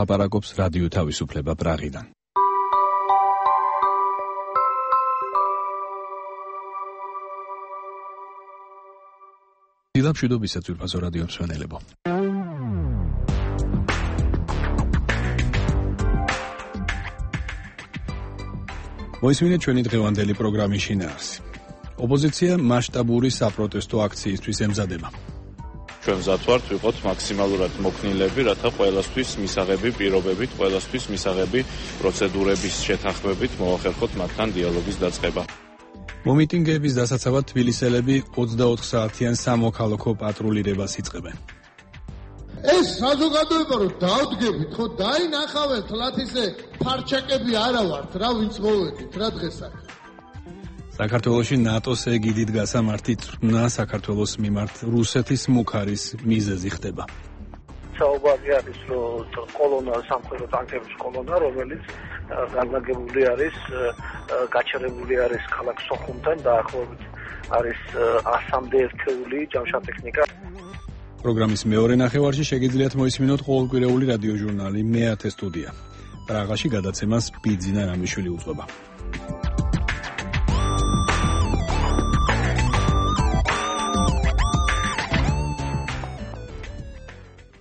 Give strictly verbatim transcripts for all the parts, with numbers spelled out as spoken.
ლაპარაკობს რადიო თავისუფლება პრაღიდან. დილამშვიდობისა ძვირფასო რადიო მსმენელებო. მოისმინეთ ჩვენი დღევანდელი პროგრამის შინაარსი. ოპოზიცია მასშტაბური საპროტესტო აქციისთვის ემზადება. ჩვენ მზად ვართ ვიყოთ მაქსიმალურად მოქნილები, რათა ყველასთვის მისაღები პირობებით, ყველასთვის მისაღები პროცედურების შეთანხმებით მოახერხოთ მათთან დიალოგის დაწყება. მომიტინგეების დასაცავად თბილისელები ოცდაოთხ საათიან სამოქალაქო პატრულირებას იწყებენ. ეს საზოგადოება რომ დავდგებით, ხო დაინახავენ თლათ ისე ფარჩაკები არა ვართ, რა ვინც მოვედით, რა დღეს აქ. საქართველოში ნატოს ეგიდით გასამართი წვრთნა საქართველოს მიმართ რუსეთის მუქარის მიზეზი ხდება. საუბარი არის, რომ კოლონა, სამხედრო ტანკების კოლონა, რომელიც განლაგებული არის, გაჩერებული არის ქალაქ სოხუმთან, დაახლოებით არის ასამდე ერთეული ჯამშა-ტექნიკა. პროგრამის მეორე ნახევარში შეგიძლიათ მოისმინოთ ყოველკვირეული რადიოჟურნალი მეათე სტუდია. პრაღაში გადაცემას ბიძინა რამიშვილი უძღვება.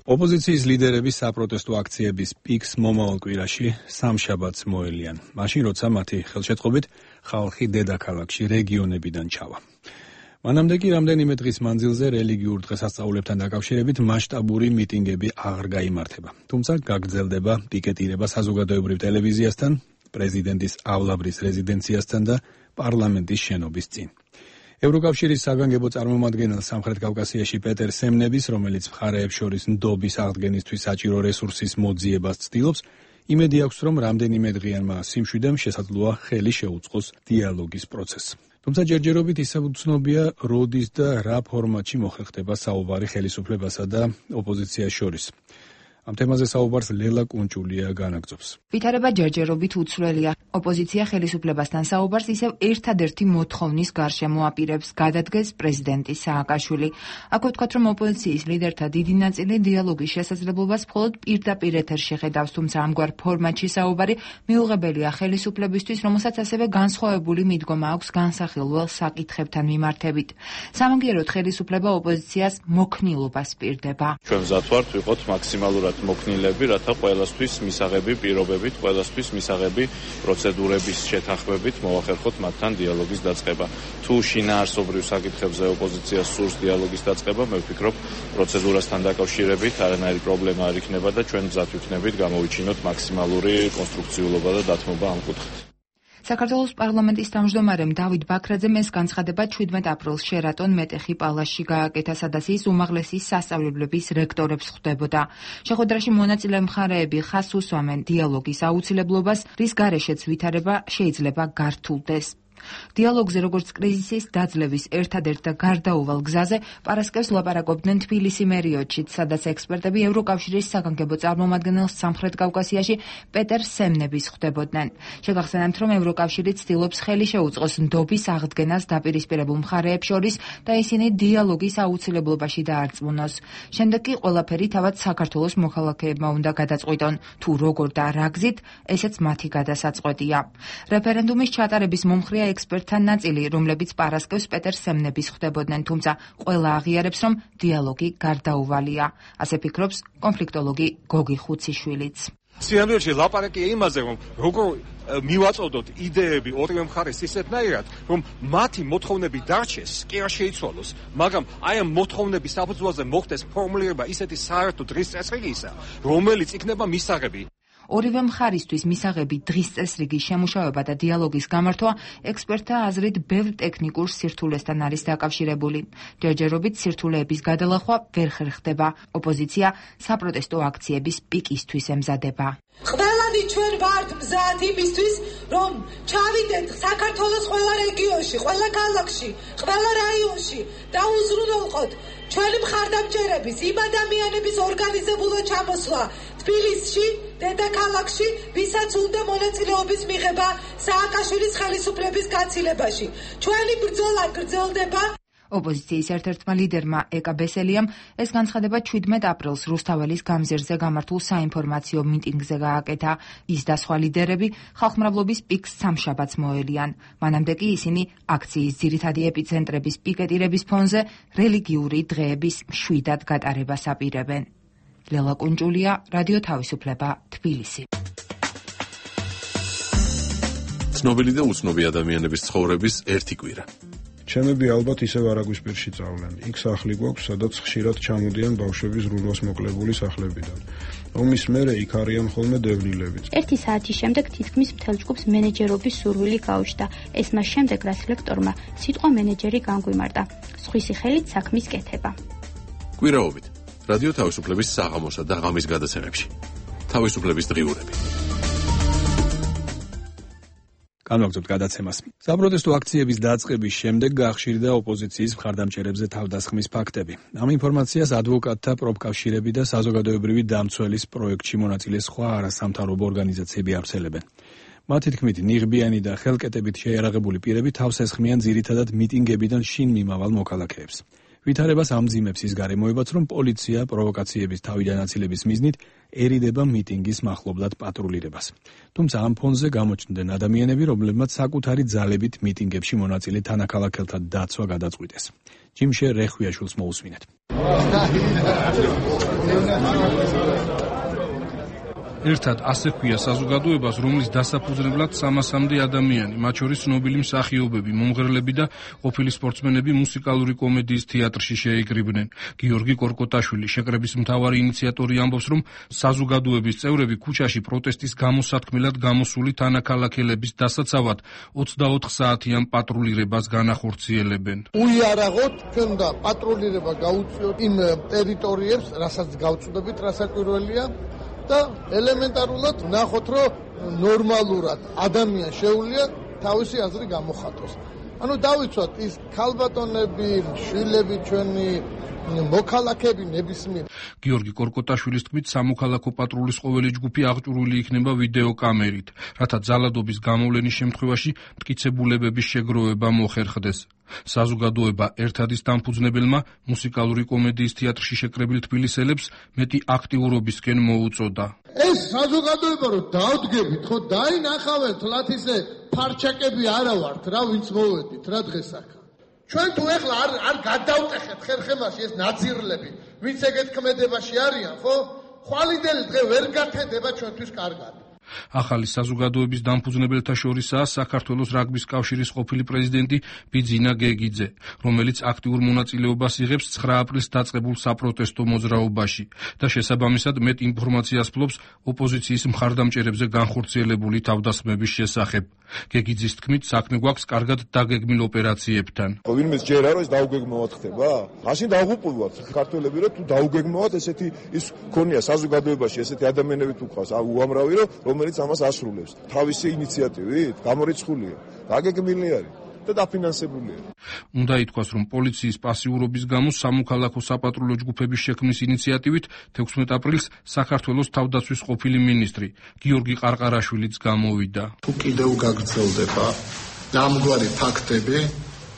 ოპოზიციის ლიდერების საპროტესტო აქციების პიკს მომავალ კვირაში სამშაბათს მოელიან, მაშინ როცა მათი ხელშეწყობით ხალხი დედაქალაქში რეგიონებიდან ჩავა. მანამდე კი რამდენიმე დღის მანძილზე რელიგიურ დღესასწაულებთან დაკავშირებით მასშტაბური მიტინგები აღარ გაიმართება. თუმცა გაგრძელდება პიკეტირება საზოგადოებრივ ტელევიზიასთან, პრეზიდენტის ავლაბრის რეზიდენციასთან და პარლამენტის შენობის წინ. ევროკავშირის საგანგებო წარმომადგენელ სამხრეთ კავკასიაში პეტერ სემნების, რომელიც მხარეებს შორის ნდობის აღდგენისთვის საჭირო რესურსის მოძიებას ცდილობს, იმედი აქვს, რომ რამდენიმე დღიანმა სიმშვიდემ შესაძლოა ხელი შეუწყოს დიალოგის პროცესს. თუმცა ჯერჯერობით ისევ უცნობია, როდის და რა ფორმატში მოხერხდება საუბარი ხელისუფლებასა და ოპოზიციას შორის. ამ თემაზე საუბარს ლელა კუნჭულია განაგრძობს. ვითარება ჯერჯერობით უცვლელია. ოპოზიცია ხელისუფლებასთან საუბარს ისევ ერთადერთი მოთხოვნის გარშემო აპირებს, გადადგეს პრეზიდენტი სააკაშვილი. აქ ვთქვათ, რომ ოპოზიციის ლიდერთა დიდი ნაწილი დიალოგის შესაძლებლობას მხოლოდ პირდაპირ ეთერში ხედავს, თუმცა ამგვარ ფორმატში საუბარი მიუღებელია ხელისუფლებისთვის, რომელსაც ასევე განსხვავებული მიდგომა აქვს განსახილველ საკითხებთან მიმართებით. სამაგიეროდ ხელისუფლება ოპოზიციას მოქნილობას პირდება. ჩვენ მზად ვართ ვიყოთ მაქსიმალურად მოქნილები, რათა ყველასთვის მისაღები პირობებით, ყველასთვის მისაღები პროცედურების შეთანხმებით მოახერხოთ მათთან დიალოგის დაწყება. თუ შინაარსობრივ საკითხებზე ოპოზიციას სურს დიალოგის დაწყება, მე ვფიქრობ, პროცედურასთან დაკავშირებით არანაირი პრობლემა არ იქნება და ჩვენ მზად ვიქნებით გამოვიჩინოთ მაქსიმალური კონსტრუქციულობა და დათმობა ამ კუთხით. საქართველოს პარლამენტის თავმჯდომარემ დავით ბაქრაძემ ეს განცხადება ჩვიდმეტ აპრილს შერატონ მეტეხი პალასში გააკეთა, სადაც ის უმაღლესი სასწავლებლების რექტორებს ხვდებოდა. შეხვედრაში მონაწილე მხარეები ხაზს უსვამენ დიალოგის აუცილებლობას, რის გარეშეც ვითარება შეიძლება გართულდეს. დიალოგზე როგორც კრიზისის დაძლევის ერთადერთ და გარდაუვალ გზაზე პარასკევს ლაპარაკობდნენ თბილისი მერიოდშიც, სადაც ექსპერტები ევროკავშირის საგანგებო წარმომადგენელს სამხრეთ კავკასიაში პეტერ სემნების ხვდებოდნენ. შეგახსენებთ, რომ ევროკავშირი ცდილობს ხელი შეუწყოს ნდობის აღდგენას დაპირისპირებულ მხარეებს შორის და ისინი დიალოგის აუცილებლობაში დაარწმუნოს. შემდეგ კი ყველაფერი თავად საქართველოს მოქალაქეებმა უნდა გადაწყვიტონ, თუ როგორ და რა გზით, ესეც მათი გადასაწყვეტია. რეფერენდუმის ჩატარების მომხრეა ექსპერტთა ნაწილი, რომლებიც პარასკევს პეტერ სემნების ხვდებოდნენ, თუმცა ყველა აღიარებს, რომ დიალოგი გარდაუვალია. ასე ფიქრობს კონფლიქტოლოგი გოგი ხუციშვილიც. სინამდვილეში ლაპარაკია იმაზე, რომ როგორ მივაწოდოთ იდეები ორივე მხარეს ისეთნაირად, რომ მათი მოთხოვნები დარჩეს, კი არ შეიცვალოს, მაგრამ აი ამ მოთხოვნების საფუძველზე მოხდეს ფორმულირება ისეთი საერთო დღის წესრიგისა, რომელიც იქნება მისაღები. ორივე მხარისთვის მისაღები დღის წესრიგის შემუშავება და დიალოგის გამართვა ექსპერტთა აზრით ბევრ ტექნიკურ სირთულესთან არის დაკავშირებული. ჯერჯერობით სირთულეების გადალახვა ვერ ხერხდება. ოპოზიცია საპროტესტო აქციების პიკისთვის ემზადება. ყველანი ჩვენ ვართ მზად იმისთვის, რომ ჩავიდეთ საქართველოს ყველა რეგიონში, ყველა ქალაქში, ყველა რაიონში და უზრუნველყოთ ჩვენი მხარდამჭერების, იმ ადამიანების ორგანიზებულად ჩამოსვლა თბილისში, დედაქალაქში, ვისაც უნდა მონაწილეობის მიღება სააკაშვილის ხელისუფლების გაცილებაში. ჩვენი ბრძოლა გრძელდება. ოპოზიციის ერთ-ერთმა ლიდერმა ეკა ბესელიამ ეს განცხადება შვიდმეტ აპრილს რუსთაველის გამზირზე გამართულ საინფორმაციო მიტინგზე გააკეთა. ის და სხვა ლიდერები ხალხმრავლობის პიკს სამშაბათს მოელიან. მანამდე კი ისინი აქციის ძირითადი ეპიცენტრების პიკეტირების ფონზე რელიგიური დღეების მშვიდად გატარებას აპირებენ. ლელა კუნჭულია, რადიო თავისუფლება, თბილისი. ცნობილი და უცნობი ადამიანების ცხოვრების ერთი კვირა. ჩემები ალბათ ისევ არაგვისპირში წავლენ. იქ სახლი გვაქვს, სადაც ხშირად ჩამოდიან ბავშვები ზრუნვას მოკლებული სახლებიდან. ომის მერე იქ არიან ხოლმე დევნილებიც. ერთი საათის შემდეგ თითქმის მთელ ჯგუფს მენეჯერობის სურვილი გაუჩნდა. ეს მას შემდეგ, რაც ლექტორმა სიტყვა მენეჯერი განგვიმარტა. სხვისი ხელით საქმის კეთება. კვირაობით რადიო თავისუფლების საღამოსა და ღამის გადაცემებში. თავისუფლების დღიურები. განვაგრძობთ გადაცემას. საპროტესტო აქციების დაწყების შემდეგ გაახშირდა ოპოზიციის მხარდამჭერებზე თავდასხმის ფაქტები. ამ ინფორმაციას ადვოკატთა პროფკავშირები და საზოგადოებრივი დამცველის პროექტში მონაწილე სხვა არასამთავრობო ორგანიზაციები ავრცელებენ. მათი თქმით, ნიღბიანი და ხელკეტებით შეიარაღებული პირები თავს ესხმიან ძირითადად მიტინგებიდან შინ მიმავალ მოქალაქეებს. ვითარებას ამძიმებს ის გარემოებაც, რომ პოლიცია პროვოკაციების თავიდან აცილების მიზნით ერიდება მიტინგის მახლობლად პატრულირებას. თუმცა ამ ფონზე გამოჩნდნენ ადამიანები, რომლებმაც საკუთარი ძალებით მიტინგებში მონაწილე თანაქალაქელთა დაცვა გადაწყვიტეს. ჯიმშე რეხვიაშვილს მოусმინეთ. ერთად ასე ქვია საზოგადოებას, რომლის დასაფუძნებლად სამასამდე ადამიანი, მათ შორის ცნობილი მსახიობები, მომღერლები და ყოფილი სპორტსმენები მუსიკალური კომედიის თეატრში შეიკრიბნენ. გიორგი კორკოტაშვილი, შეკრების მთავარი ინიციატორი, ამბობს, რომ საზოგადოების წევრები ქუჩაში პროტესტის გამოსათქმელად გამოსული თანაქალაქელების დასაცავად ოცდაოთხ საათიან პატრულირებას განახორციელებენ. უიარაღოთ, ჩვენ და პატრულირება გაუწიოთ იმ ტერიტორიებს, რასაც გავწუდებით, რა საკვირველია. და ელემენტარულად ვნახოთ, რომ ნორმალურად ადამიანს შეუძლია თავისი აზრი გამოხატოს. ანუ დავიცვათ ის ქალბატონები, შვილები ჩვენი მოქალაქეები ნებისმიერ. გიორგი კორკოტაშვილის თქმით, სამოქალაქო პატრულის ყოველი ჯგუფი აღჭურვილი იქნება ვიდეო კამერით, რათა ძალადობის გამოვლენის შემთხვევაში მტკიცებულებების შეგროვება მოხერხდეს. საზოგადოება ერთადის დამფუძნებელმა მუსიკალური კომედიის თეატრში შეკრებილ თბილისელებს მეტი აქტიურობისკენ მოუწოდა. ეს საზოგადოება რომ დავდგებით, ხო დაინახავენ თლათისე ფარჩაკები არა ვართ, რა ვინც მოვედით, რა დღეს აქ. ჩვენ თუ ეხლა არ არ გადავტეხეთ ხერხემაში ეს ნაძირლები, ვინც ეგეთ ქმედებაში არიან, ხო? ხვალიდელი დღე ვერ გათენდება ჩვენთვის კარგად. ახალი საზოგადოების დამფუძნებელთა შორისაა საქართველოს რაგბის კავშირის ყოფილი პრეზიდენტი ბიძინა გეგიძე, რომელიც აქტიურ მონაწილეობას იღებს ცხრა აპრილს დაწყებულ საპროტესტო მოძრაობაში და შესაბამისად მეტ ინფორმაციას ფლობს ოპოზიციის მხარდამჭერებზე განხორციელებული თავდასხმების შესახებ. გეგიძის თქმით, საქმე გვაქვს კარგად დაგეგმილ ოპერაციებთან. ვინმე ჯერა რომ ეს დაუგეგმავად ხდება? მაშინ დავუყურვათ ქართველები, რომ თუ დაუგეგმავად ესეთი ის ქონია საზოგადოებაში ესეთი ადამიანები თუ ყავს, უამრავი რომ რომელიც ამას ასრულებს. თავისი ინიციატივით გამორიცხულია, დაგეგმილი არის და დაფინანსებულია. უნდა ითქვას, რომ პოლიციის პასიურობის გამო სამოქალაქო საპატრულო ჯგუფების შექმნის ინიციატივით თექვსმეტ აპრილს საქართველოს თავდაცვის ყოფილი მინისტრი გიორგი ყარყარაშვილიც გამოვიდა. თუ კიდევ გაგრძელდება ამგვარი ფაქტები,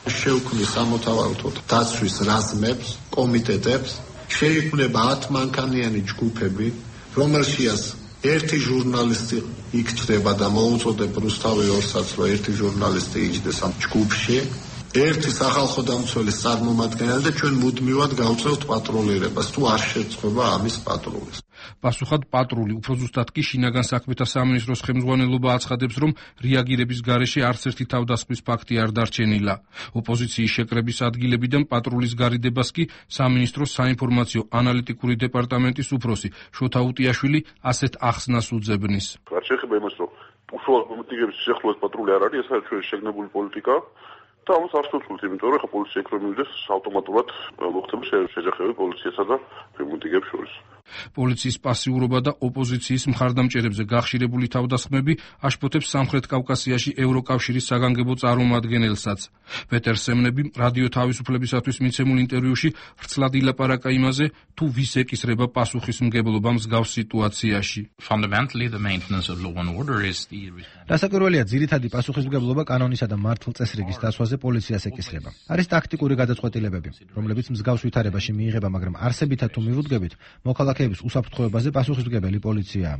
შევქმნის სამოთავაროთა დაცვის რაზმებს, კომიტეტებს, შეიქმნება ათმანქანიანი ჯგუფები, რომელშიაც ერთი ჟურნალისტი იქცდება და მოუწოდებ რუსთავი ორსაც, რომ ერთი ჟურნალისტი იჯდეს ამ ჯგუფში, ერთი სახალხო დამცველის წარმომადგენელი და ჩვენ მუდმივად გავწევთ პატრულირებას, თუ არ შეწყდება ამის პატრულის. პასუხად პატრული, უფრო ზუსტად კი შინაგან საქმეთა სამინისტროს ხელმძღვანელობა აცხადებს, რომ რეაგირების გარეშე არც ერთი თავდასხმის ფაქტი არ დარჩენილა. ოპოზიციის შეკრების ადგილებიდან პატრულის გარიდებას კი სამინისტროს საინფორმაციო ანალიტიკური დეპარტამენტის უფროსი შოთა უტიაშვილი ასეთ ახსნას უძებნის. არ შეეხება იმას, რომ უშუალოდ მიტინგების შეხვედრას პატრული არ არის, ეს არის ჩვენი შეგნებული პოლიტიკა. და ამას არ შევცვლით, იმიტომ რომ ხა პოლიცია იქ რომ მივიდეს ავტომატურად მოხდება შეჯახები პოლიციასა და მიტინგებს შორის. პოლიციის პასიურობა და ოპოზიციის მხარდამჭერებზე გახშირებული თავდასხმები აშფოთებს სამხრეთ კავკასიაში ევროკავშირის საგანგებო წარმომადგენელსაც. პეტერ სემნები რადიო თავისუფლებისათვის მიცემულ ინტერვიუში ვრცლად ილაპარაკა იმაზე, თუ ვის ეკისრება პასუხისმგებლობა მსგავს სიტუაციაში. დასაკვირველია, ძირითადი პასუხისმგებლობა კანონისა და მართლწესრიგის დაცვაზე პოლიციას ეკისრება. არის ტაქტიკური გადაწყვეტილებები, რომლებიც მსგავს ვითარებაში მიიღება, მაგრამ არსებითად თუ მივუდგებით, მოქალაქეების უსაფრთხოებაზე პასუხისმგებელი პოლიციაა.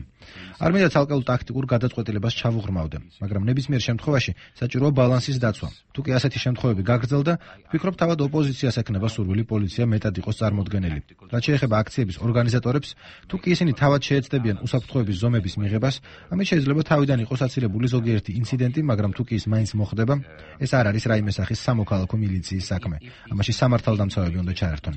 არ მინდა ცალკეულ ტაქტიკურ გადაწყვეტილებას ჩავუღრმავდე, მაგრამ ნებისმიერ შემთხვევაში საჭიროა ბალანსის დაცვა. თუ კი ასეთი შემთხვევები გაგრძელდა, ვფიქრობ, თავად ოპოზიციას ექნება სურვილი პოლიცია მეტად იყოს წარმოდგენილი. რაც შეეხება აქციების ორგანიზატორებს, თუ კი ისინი თავად შეეცდებიან უსაფრთხოების ზომების მიღებას, ამით შეიძლება თავიდან იყოს აცილებული ზოგიერთი ინციდენტი, მაგრამ თუ კი ის მაინც მოხდება, ეს არ არის რაიმე სახის სამოქალაქო მილიციის საქმე. ამაში სამართალდამცავები უნდა ჩაერთონ.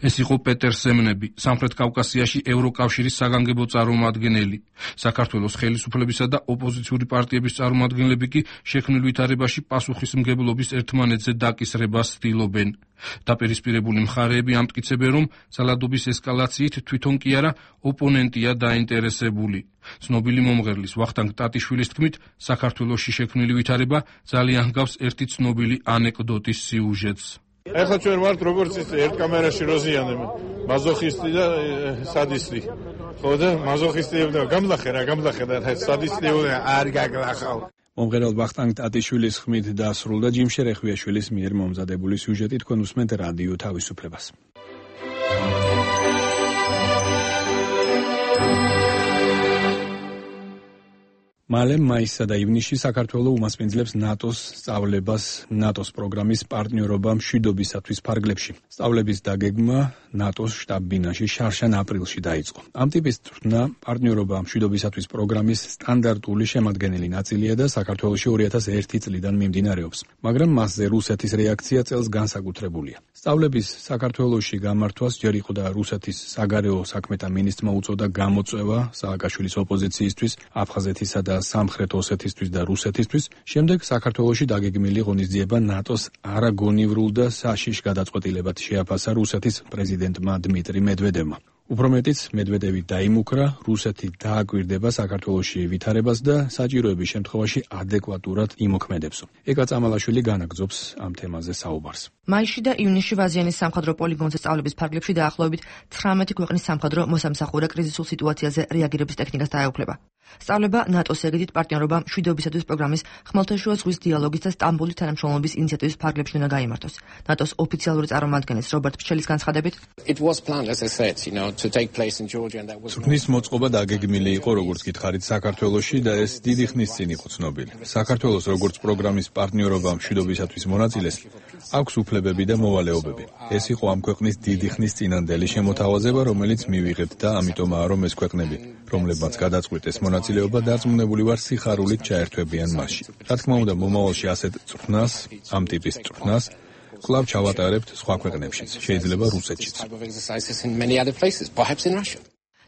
ეს იყო პეტერ სემნები, სამხრეთ კავკასიაში ევროკავშირის საგანგებო წარმომადგენელი. საქართველოს ხელისუფლებისა და ოპოზიციური პარტიების წარმომადგენლები კი შექმნილ ვითარებაში პასუხისმგებლობის ერთმანეთზე დაკისრებას ცდილობენ. დაპირისპირებული მხარეები ამტკიცებენ, რომ ძალადობის ესკალაციით თვითონ კი არა, ოპონენტია დაინტერესებული. ცნობილი მომღერლის ვახტანგ ტატიშვილის თქმით, საქართველოში შექმნილი ვითარება ძალიან ჰგავს ერთი ცნობილი ანეკდოტის სიუჟეტს. ეხლა ჩვენ ვართ როგორც ის ერთ კამერაში როზიანები, მაზოხისტი და სადისტი. ხო და მაზოხისტი და გამლახე რა, გამლახე და სადისტი არ გაგლახავ. მომღერალ ვახტანგ ტატიშვილის ხმით დასრულდა ჯიმ შერეხვიაშვილის მიერ მომზადებული სიუჟეტი. თქვენ უსმენთ რადიო თავისუფლებას. მალე მაისსა და ივნისში საქართველო უმასპინძლებს ნატოს სწავლებას ნატოს პროგრამის პარტნიორობა მშვიდობისათვის ფარგლებში. სწავლების დაგეგმა ნატოს შტაბ-ბინაში შარშან აპრილში დაიწყო. ამ ტიპის წვრთნა პარტნიორობა მშვიდობისათვის პროგრამის სტანდარტული შემადგენელი ნაწილია და საქართველოში ორი ათას ერთი წლიდან მიმდინარეობს. მაგრამ მასზე რუსეთის რეაქცია წელს განსაკუთრებულია. სწავლების საქართველოში გამართვას ჯერ იყო და რუსეთის საგარეო საქმეთა მინისტრმა უწოდა გამოწვევა სააკაშვილის ოპოზიციისთვის, აფხაზეთისა და სამხრეთ ოსეთისთვის და რუსეთისთვის. შემდეგ საქართველოში დაგეგმილი ღონისძიება ნატოს არაგონივრულ და საშიშ გადაწყვეტილებად შეაფასა რუსეთის პრეზიდენტმა დმიტრი მედვედევმა. უფრო მეტიც, მედვედევი დაიმუქრა, რუსეთი დააკვირდება საქართველოში ვითარებას და საჭიროების შემთხვევაში ადეკვატურად იმოქმედებს. ეკა წამალაშვილი განაგრძობს ამ თემაზე საუბარს. მაისში და ივნისში ვაზიანის სამხედრო პოლიგონზე სწავლების ფარგლებში დაახლოებით ცხრამეტი ქვეყნის სამხედრო მოსამსახურე კრიზისულ სიტუაციაზე რეაგირების ტექნიკას დაეუფლება. სწავლება ნატოს ეგიდით პარტნიორობა მშვიდობისათვის პროგრამის ხმელთაშუა ზღვის დიალოგის და სტამბოლის თანამშრომლობის ინიციატივის ფარგლებში უნდა გაიმართოს. ნატოს ოფიციალური წარმომადგენლის რობერტ ფშელის განცხადებით, წვრთნის მოწყობა დაგეგმილი იყო, როგორც გითხარით, საქართველოში და ეს დიდი ხნის წინ იყო ცნობილი. საქართველოს როგორც პროგრამის პარტნიორობა მშვიდობისათვის მონაწილეს აქვს უფლებები და მოვალეობები. ეს იყო ამ ქვეყნის დიდი ხნის წინანდელი შემოთავაზება, რომელიც მივიღებთ და ამიტომაა, რომ ეს ქვეყნები, რომლებმაც გადაწყვიტეს მონაწილეობა, დარწმუნებული ვარ, სიხარულით ჩაერთვებიან მასში. რა თქმა უნდა, მომავალში ასეთ წვრთნას, ამ ტიპის წვრთნას კვლავ ჩავატარებთ სხვა ქვეყნებშიც, შეიძლება რუსეთშიც.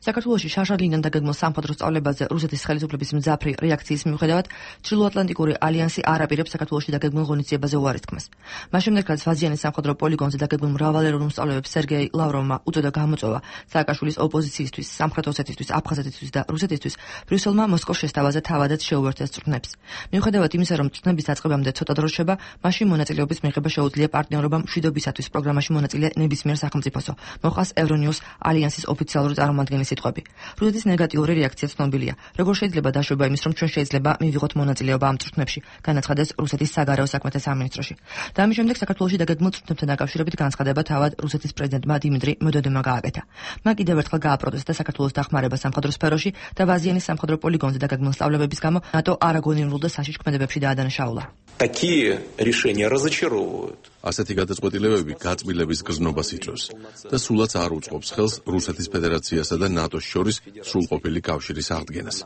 საქართველოში შარშალინიდან დაგეგმილ სამხედრო სწავლებაზე რუსეთის ხელისუფლების მძაფრი რეაქციის მიუხედავად, ჩრდილოატლანტიკური ალიანსი არ აპირებს საქართველოში დაგეგმილ ღონისძიებაზე უარის თქმას. მას შემდეგ, რაც ვაზიანის სამხედრო პოლიგონზე დაგეგმილ მრავალეროვნულ სწავლებებს სერგეი ლავროვმა უწოდა გამოწვევა სააკაშვილის ოპოზიციისთვის, სამხრეთ ოსეთისთვის, აფხაზეთისთვის და რუსეთისთვის, ბრიუსელმა მოსკოვს შესთავაზა თავადაც შეუერთდეს წვრთნებს. მიუხედავად იმისა, რომ წვრთნების დაწყებამდე ცოტა დრო რჩება, მაშინ მონაწილეობის მიღება შეუძლია პარტნიორობა მშვიდობისათვის პროგრამაში მონაწილე ნებისმიერ სახელმწიფოსო, მოყავს ევრონიუს ალიანსის ოფიციალური წარმომადგენლის სიტყვები. რუსეთის ნეგატიური რეაქცია ცნობილია. როგორ შეიძლება დაშვება იმის, რომ ჩვენ შეიძლება მივიღოთ მონაწილეობა ამ წვრთნებში, განაცხადეს რუსეთის საგარეო საქმეთა სამინისტროში. და ამის შემდეგ საქართველოში დაგეგმილ წვრთნებთან დაკავშირებით განცხადება თავად რუსეთის პრეზიდენტმა დიმიტრი მედვედევმა გააკეთა. მან კიდევ ერთხელ გააპროტესტა საქართველოს დახმარება სამხედრო სფეროში და ვაზიანის სამხედრო პოლიგონზე დაგეგმილ სწავლებების გამო ნატო არაგონივრულ და საშიშ ქმედებებში დაადანაშაულა. Такие решения разочаровывают. ასეთი გადაწყვეტილებები გაწმილების გზნობას იწვევს და სულაც არ უწყობს ხელს რუსეთის ფედერაციასა და ნატოს შორის სრულყოფილი კავშირის აღდგენას.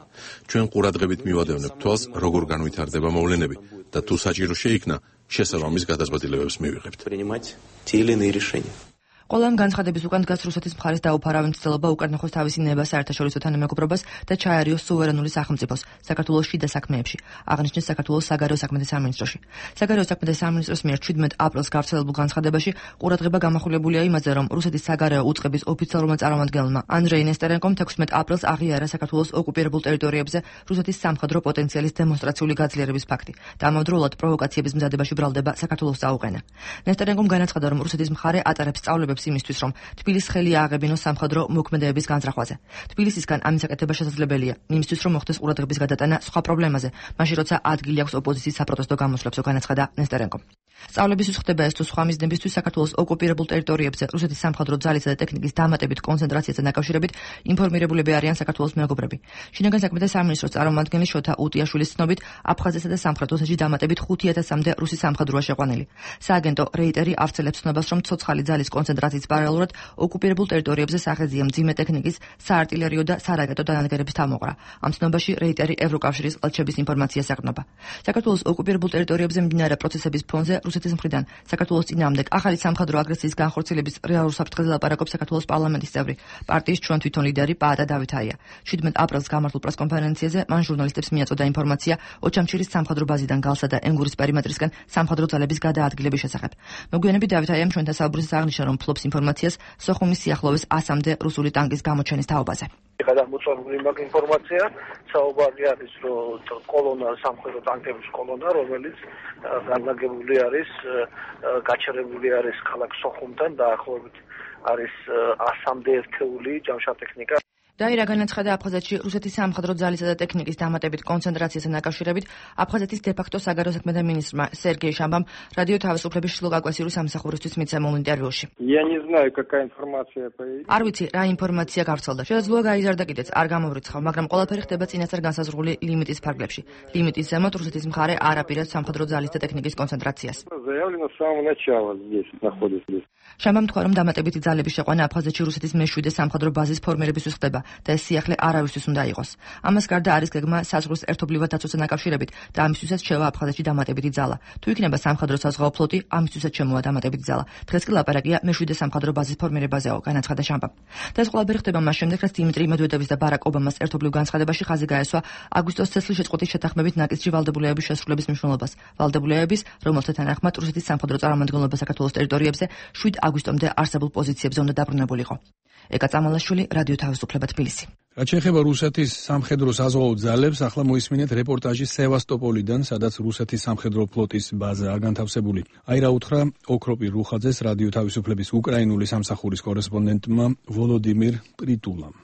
ჩვენ ყურადღებით მივადევნებთ თვალს, როგორ განვითარდება მოვლენები და თუ საჭირო შეიქმნა, შესაბამის გადაწყვეტილებებს მივიღებთ. ყველა ამ განცხადების უკან დგას რუსეთის მხარის დაუფარავი მცდელობა უკანახოს თავისი ნება საერთაშორისო თანამეგობრობას და ჩაერიოს სუვერენული სახელმწიფოს საქართველოს შიდა საქმეებში, აღნიშნეს საქართველოს საგარეო საქმეთა სამინისტროში. საგარეო საქმეთა სამინისტროს მიერ შვიდმეტ აპრილს გავრცელებულ განცხადებაში ყურადღება გამახვილებულია იმაზე, რომ რუსეთის საგარეო უწყების ოფიციალურმა წარმომადგენელმა ანდრეი ნესტერენკომ თექვსმეტ აპრილს აღიარა საქართველოს ოკუპირებულ ტერიტორიებზე რუსეთის სამხედრო პოტენციალის დემონსტრაციული გაძლიერების ფაქტი და ამავდროულად პროვოკაციების მზადებაში ბრალდება საქართველოს წაუყენა. ნესტერენკომ განაცხადა, რომ რუსეთის მხარე ატარებს სწავლებებს იმისთვის, რომ თბილისს ხელი ააღებინოს სამხედრო მოქმედებების განზრახვაზე. თბილისისგან ამის აკეთება შესაძლებელია, იმისთვის, რომ მოხდეს ყურადღების გადატანა სხვა პრობლემაზე, მაშინ როცა ადგილი აქვს ოპოზიციის საპროტესტო გამოსვლებსო, განაცხადა ნესტერენკომ. სწავლებისთვის ხდება ეს თუ სხვა მიზნებისთვის საქართველოს ოკუპირებულ ტერიტორიებზე რუსეთის სამხედრო ძალისა და ტექნიკის დამატებით კონცენტრაციასთან დაკავშირებით ინფორმირებულები არიან საქართველოს მეგობრები. შინაგან საქმეთა სამინისტროს წარმომადგენელი შოთა უტიაშვილის ცნობით, აფხაზეთსა და სამხრეთ ოსეთში დამატებით ხუთი ათასამდე რუსი სამხედროა შეყვანილი. სააგენტო რეიტერი ავრცელებს ცნობას, რომ ცოცხალი ძალის კონცენტრაციის პარალელურად ოკუპირებულ ტერიტორიებზე სახეზია მძიმე ტექნიკის, საარტილერიო და სარაკეტო დანადგარების თავმოყრა. ამ ცნობაში რეიტერი ევროკავშირის ყელჩების ინფორმაციას ეყრდნობა. საქართველოს ოკუპირებულ ტერიტორიებზე მიმდინარე პროცესების ფონზე რუსეთის მხრიდან საქართველოს წინააღმდეგ ახალი სამხედრო აგრესიის განხორციელების რეალურ საფრთხეზე ლაპარაკობს საქართველოს პარლამენტის წევრი, პარტიის ჩვენ თვითონ ლიდერი პაატა დავითაია. შვიდმეტ აპრილს გამართულ პრესკონფერენციაზე მან ჟურნალისტებს მიაწოდა ინფორმაცია ოჩამჩირის სამხედრო ბაზიდან გალსა და ენგურის პერიმეტრისკენ სამხედრო ძალების გადაადგილების შესახებ. მოგვიანებით დავითაიამ ჩვენთან საუბრისას აღნიშნა, რომ ფლობს ინფორმაციას სოხუმის სიახლოვეს ასამდე რუსული ტანკის გამოჩენის თაობაზე. გადამოწმული მაგ ინფორმაცია საუბარი არის, რომ კოლონა სამხედრო ტანკების კოლონა, რომელიც განლაგებული არის, გაჩერებული არის ქალაქ სოხუმთან დაახლოებით არის ასამდე ერთეული ჯამშარ-ტექნიკა. დაირა განაცხადა, აფხაზეთში რუსეთის სამხედრო ძალისა და ტექნიკის დამატებით კონცენტრაციასთან დაკავშირებით აფხაზეთის დე-ფაქტო საგარეო საქმეთა მინისტრმა სერგეი შამბამ რადიო თავისუფლების შილოკაკავშირის სამსახურისთვის მიცემულ ინტერვიუში. არ ვიცი, რა ინფორმაცია გავრცელდა. შესაძლოა გაიზარდა კიდეც, არ გამოვრიცხავ, მაგრამ ყველაფერი ხდება წინასწარ განსაზღვრული ლიმიტის ფარგლებში. ლიმიტის ზემოთ რუსეთის მხარე არ აპირებს სამხედრო ძალის და ტექნიკის კონცენტრაციას. შამბამ თქვა, რომ დამატებითი ძალების შეყვანა აფხაზეთში რუსეთის მეშვიდე სამხედრო ბაზის ფორმირებისთვის ხდება და ეს სიახლე არავისთვის უნდა იყოს. ამას გარდა არის გეგმა საზღვრის ერთობლივად დაცვასთან დაკავშირებით და ამისთვისაც შევა აფხაზეთში დამატებითი ძალა. თუ იქნება სამხედრო საზღვაო ფლოტი, ამისთვისაც შემოვა დამატებითი ძალა. დღეს კი ლაპარაკია მეშვიდე სამხედრო ბაზის ფორმირებაზეო, განაცხადა შამბამ. და ეს ყველაფერი ხდება მას შემდეგ, რაც დიმიტრი მედვედევის და ბარაკ ობამას ერთობლივ განცხადებაში ხაზი გაესვა აგვისტოს ცეცხლის შეწყვეტის შეთანხმებით ნაკისჭი ვალდებულებების შესრულების მნიშვნელობას. ვალდებულებების, რომელთა თანახმად რუსეთის სამხედრო წარმომადგენლობა საქართველოს ტერიტორიებზე შვიდ აგვისტომდე არსებულ პოზიციებზე უნდა დაბრუნებულიყო. ეკა წამალაშვილი, რადიო თავისუფლება, თბილისი. რაც შეეხება რუსეთის სამხედრო საზღვაო ძალებს, ახლა მოისმინეთ რეპორტაჟი სევასტოპოლიდან, სადაც რუსეთის სამხედრო ფლოტის ბაზაა განთავსებული. აირა უთხრა ოქროპი რუხაძეს რადიო თავისუფლების უკრაინული სამსახურის კორესპონდენტმა ვოლოდიმირ პრიტულამ.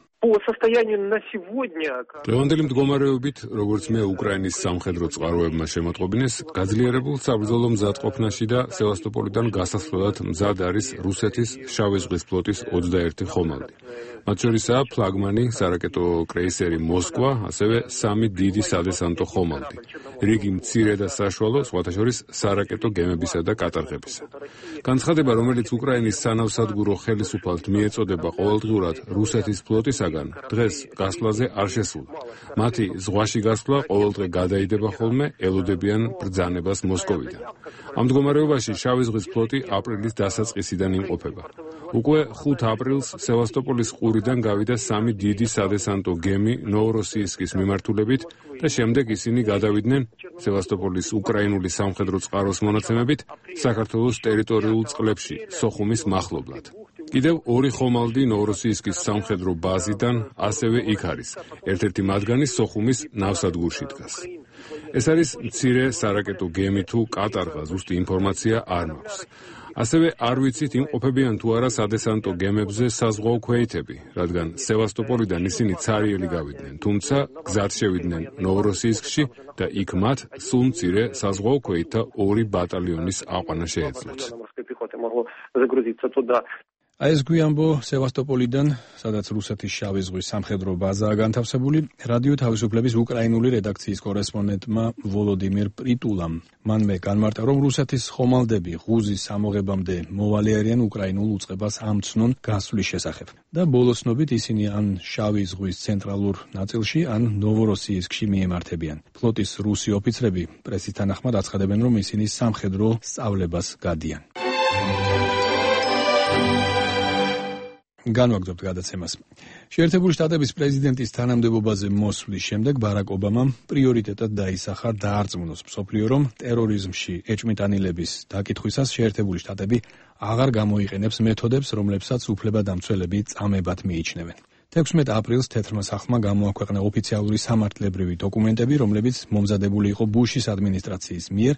დღევანდელი მდგომარეობით, როგორც მე უკრაინის სამხედრო წყაროებმა შემოტყობინეს, გაძლიერებულ საბრძოლო მზადყოფნაში და სევასტოპოლიდან გასასვლელად მზად არის რუსეთის შავი ზღვის ფლოტის ოცდაერთი ხომალდი. მათ შორისაა ფლაგმანი სარაკეტო კრეისერი მოსკვა, ასევე სამი დიდი სადესანტო ხომალდი. რიგი მცირე და საშუალო, სხვათა შორის სარაკეტო გემებისა და კატარღებისა. განცხადება, რომელიც უკრაინის სანავსადგურო ხელისუფალთ მიეწოდება ყოველდღიურად რუსეთის ფლოტისაგან, დღეს გასვლაზე არ შესულა. მათი ზღვაში გასვლა ყოველდღე გადაიდება ხოლმე, ელოდებიან ბრძანებას მოსკოვიდან. ამ მდგომარეობაში შავი ზღვის ფლოტი აპრილის დასაწყისიდან იმყოფება. უკვე ხუთ აპრილს სევასტოპოლის ყურიდან გავიდა სამი დიდი სადესანტო გემი ნოვოროსიისკის მიმართულებით და შემდეგ ისინი გადავიდნენ სევასტოპოლის უკრაინული სამხედრო წყაროს მონაცემებით საქართველოს ტერიტორიულ წყლებში, სოხუმის მახლობლად. კიდევ ორი ხომალდი ნოვოროსიისკის სამხედრო ბაზიდან ასევე იქ არის. ერთ-ერთი მათგანი სოხუმის ნავსადგურში დგას. ეს არის მცირე სარაკეტო გემი თუ კატარღა, ზუსტი ინფორმაცია არ მაქვს. ასევე არ ვიცით იმყოფებიან თუ არა სადესანტო გემებზე საზღვაო ქვეითები, რადგან სევასტოპოლიდან ისინი ცარიელი გავიდნენ, თუმცა გზად შევიდნენ ნოვოროსიისკში და იქ მათ სულ მცირე საზღვაო ქვეითთა ორი ბატალიონის აყვანა შეეძლოთ. აი ეს გვიანბო სევასტოპოლიდან, სადაც რუსეთის შავი ზღვის სამხედრო ბაზაა განთავსებული, რადიო თავისუფლების უკრაინული რედაქციის კორესპონდენტმა ვოლოდიმირ პრიტულამ. მან მე განმარტა, რომ რუსეთის ხომალდები ღუზის ამოღებამდე მოვალე არიან უკრაინულ უწყებას ამცნონ გასვლის შესახებ. და ბოლოსნობით ისინი ან შავი ზღვის ცენტრალურ ნაწილში, ან ნოვოროსიისკში მიემართებიან. ფლოტის რუსი ოფიცრები პრესის თანახმად აცხადებენ, რომ ისინი სამხედრო სწავლებას გადიან. განვაგრძობთ გადაცემას. შეერთებული შტატების პრეზიდენტის თანამდებობაზე მოსვლის შემდეგ ბარაკ ობამამ პრიორიტეტად დაისახა დაარწმუნოს მსოფლიო, რომ ტერორიზმში ეჭვმიტანილების დაკითხვისას შეერთებული შტატები აღარ გამოიყენებს მეთოდებს, რომლებსაც უფლებადამცველები წამებად მიიჩნევენ. თექვსმეტ აპრილს თეთრმა სახლმა გამოაქვეყნა ოფიციალური სამართლებრივი დოკუმენტები, რომლებიც მომზადებული იყო ბუშის ადმინისტრაციის მიერ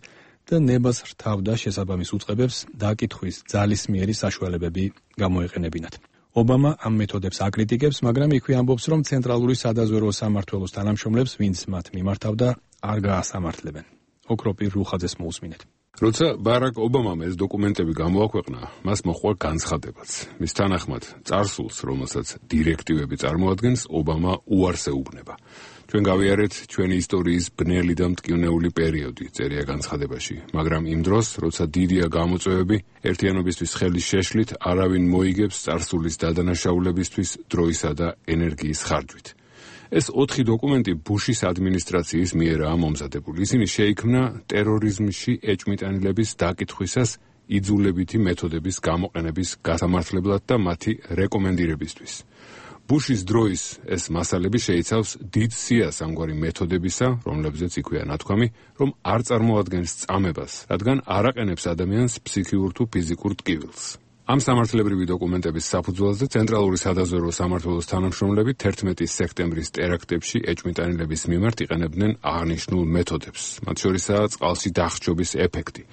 და ნებას რთავდა შესაბამის უწყებებს დაკითხვის ძალისმიერი საშუალებები გამოეყენებინათ. ობამა ამ მეთოდებს აკრიტიკებს, მაგრამ იქვე ამბობს, რომ ცენტრალური სადაზვერვო სამმართველოს თანამშრომლებს, ვინც მათ მიმართავდა, არ გაასამართლებენ. ოქროპირ რუხაძეს მოусმინეთ. როცა ბარაკ ობამამ ეს დოკუმენტები გამოაქვეყნა, მას მოჰყვა განცხადებაც. მის თანახმად, წარსულს, რომელსაც დირექტივები წარმოადგენს, ობამა უარს ეუბნება. ჩვენ გავიარეთ ჩვენი ისტორიის ბნელი და მტკივნეული პერიოდი, წერია განცხადებაში, მაგრამ იმ დროს, როცა დიდია გამოწვევები, ერთიანობისთვის ხელის შეშლით არავინ მოიგებს წარსულის დადანაშაულებისთვის დროისა და ენერგიის ხარჯვით. ეს ოთხი დოკუმენტი ბუშის ადმინისტრაციის მიერაა მომზადებული. ისინი შეიქმნა ტერორიზმში ეჭვმიტანილების დაკითხვისას იძულებითი მეთოდების გამოყენების გასამართლებლად და მათი რეკომენდირებისთვის. ბუშის დროის ეს მასალები შეიცავს დიდ სიას ამგვარი მეთოდებისა, რომლებზეც იქვეა ნათქვამი, რომ არ წარმოადგენს წამებას, რადგან არ აყენებს ადამიანს ფსიქიურ თუ ფიზიკურ ტკივილს. ამ სამართლებრივი დოკუმენტების საფუძველზე ცენტრალური სადაზვერვო სამმართველოს თანამშრომლები თერთმეტი სექტემბრის ტერაქტებში ეჭვმიტანილების მიმართ იყენებდნენ აღნიშნულ მეთოდებს, მათ შორისაა წყალში დახრჩობის ეფექტი,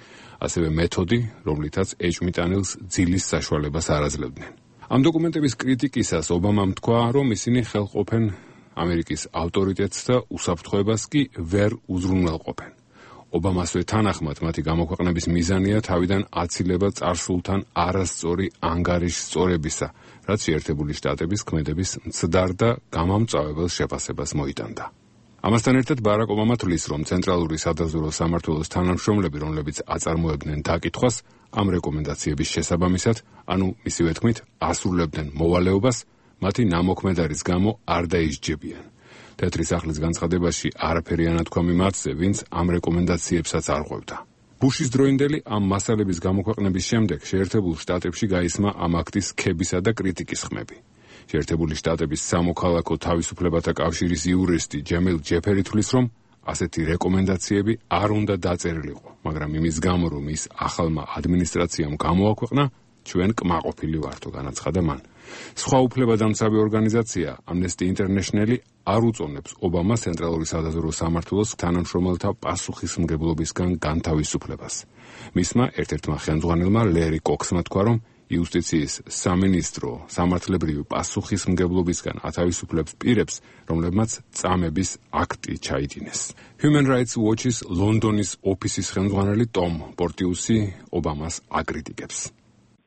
ასევე მეთოდი, რომლითაც ეჭვმიტანილს ძილის საშუალებას არ აძლევდნენ. ამ დოკუმენტების კრიტიკისას ობამამ თქვა, რომ ისინი ხელყოფენ ამერიკის ავტორიტეტს და უსაფრთხოებას კი ვერ უზრუნველყოფენ. ობამასვე თანახმად მათი გამოქვეყნების მიზანია თავიდან აცილება წარსულთან არასწორი ანგარიშსწორებისა, რაც შეერთებული შტატების ქმედების მცდარ და გამამწვავებელ შეფასებას მოიტანდა. ამასთან ერთად ბარაკ ობამა თვლის, რომ ცენტრალური სადაზვერვო სამმართველოს თანამშრომლები, რომლებიც აწარმოებდნენ დაკითხვას, ამ რეკომენდაციების შესაბამისად, ანუ მისივე თქმით, ასრულებდნენ მოვალეობას, მათი ნამოქმედარის გამო არ დაისჯებიან. თეთრი სახლის განცხადებაში არაფერი ანათქვამი მათზე, ვინც ამ რეკომენდაციებსაც არ ყვევდა. ბუშის დროინდელი ამ მასალების გამოქვეყნების შემდეგ შეერთებულ შტატებში გაისმა ამ აქტის ქებისა და კრიტიკის ხმები. შეერთებული შტატების სამოქალაქო თავისუფლებათა კავშირის იურისტი ჯემილ ჯეფერი თვლის, რომ ასეთი რეკომენდაციები არ უნდა დაწერილიყო, მაგრამ იმის გამო, რომ ის ახალმა ადმინისტრაციამ გამოაქვეყნა, ჩვენ კმაყოფილი ვართო, განაცხადა მან. სხვა უფლებადამცავი ორგანიზაცია Amnesty International არ უწონებს ობამას ცენტრალური სადაზვერვო სამმართველოს თანამშრომელთა პასუხისმგებლობისგან განთავისუფლებას. მისმა ერთ-ერთმა ხელმძღვანელმა ლერი კოქსმა თქვა, რომ იუსტიციის სამინისტრო სამართლებრივი პასუხისმგებლობისგან ათავისუფლებს პირებს, რომლებმაც წამების აქტი ჩაიდინეს. Human Rights Watch-ის ლონდონის ოფისის ხელმძღვანელი ტომ პორტიუსი ობამას აკრიტიკებს.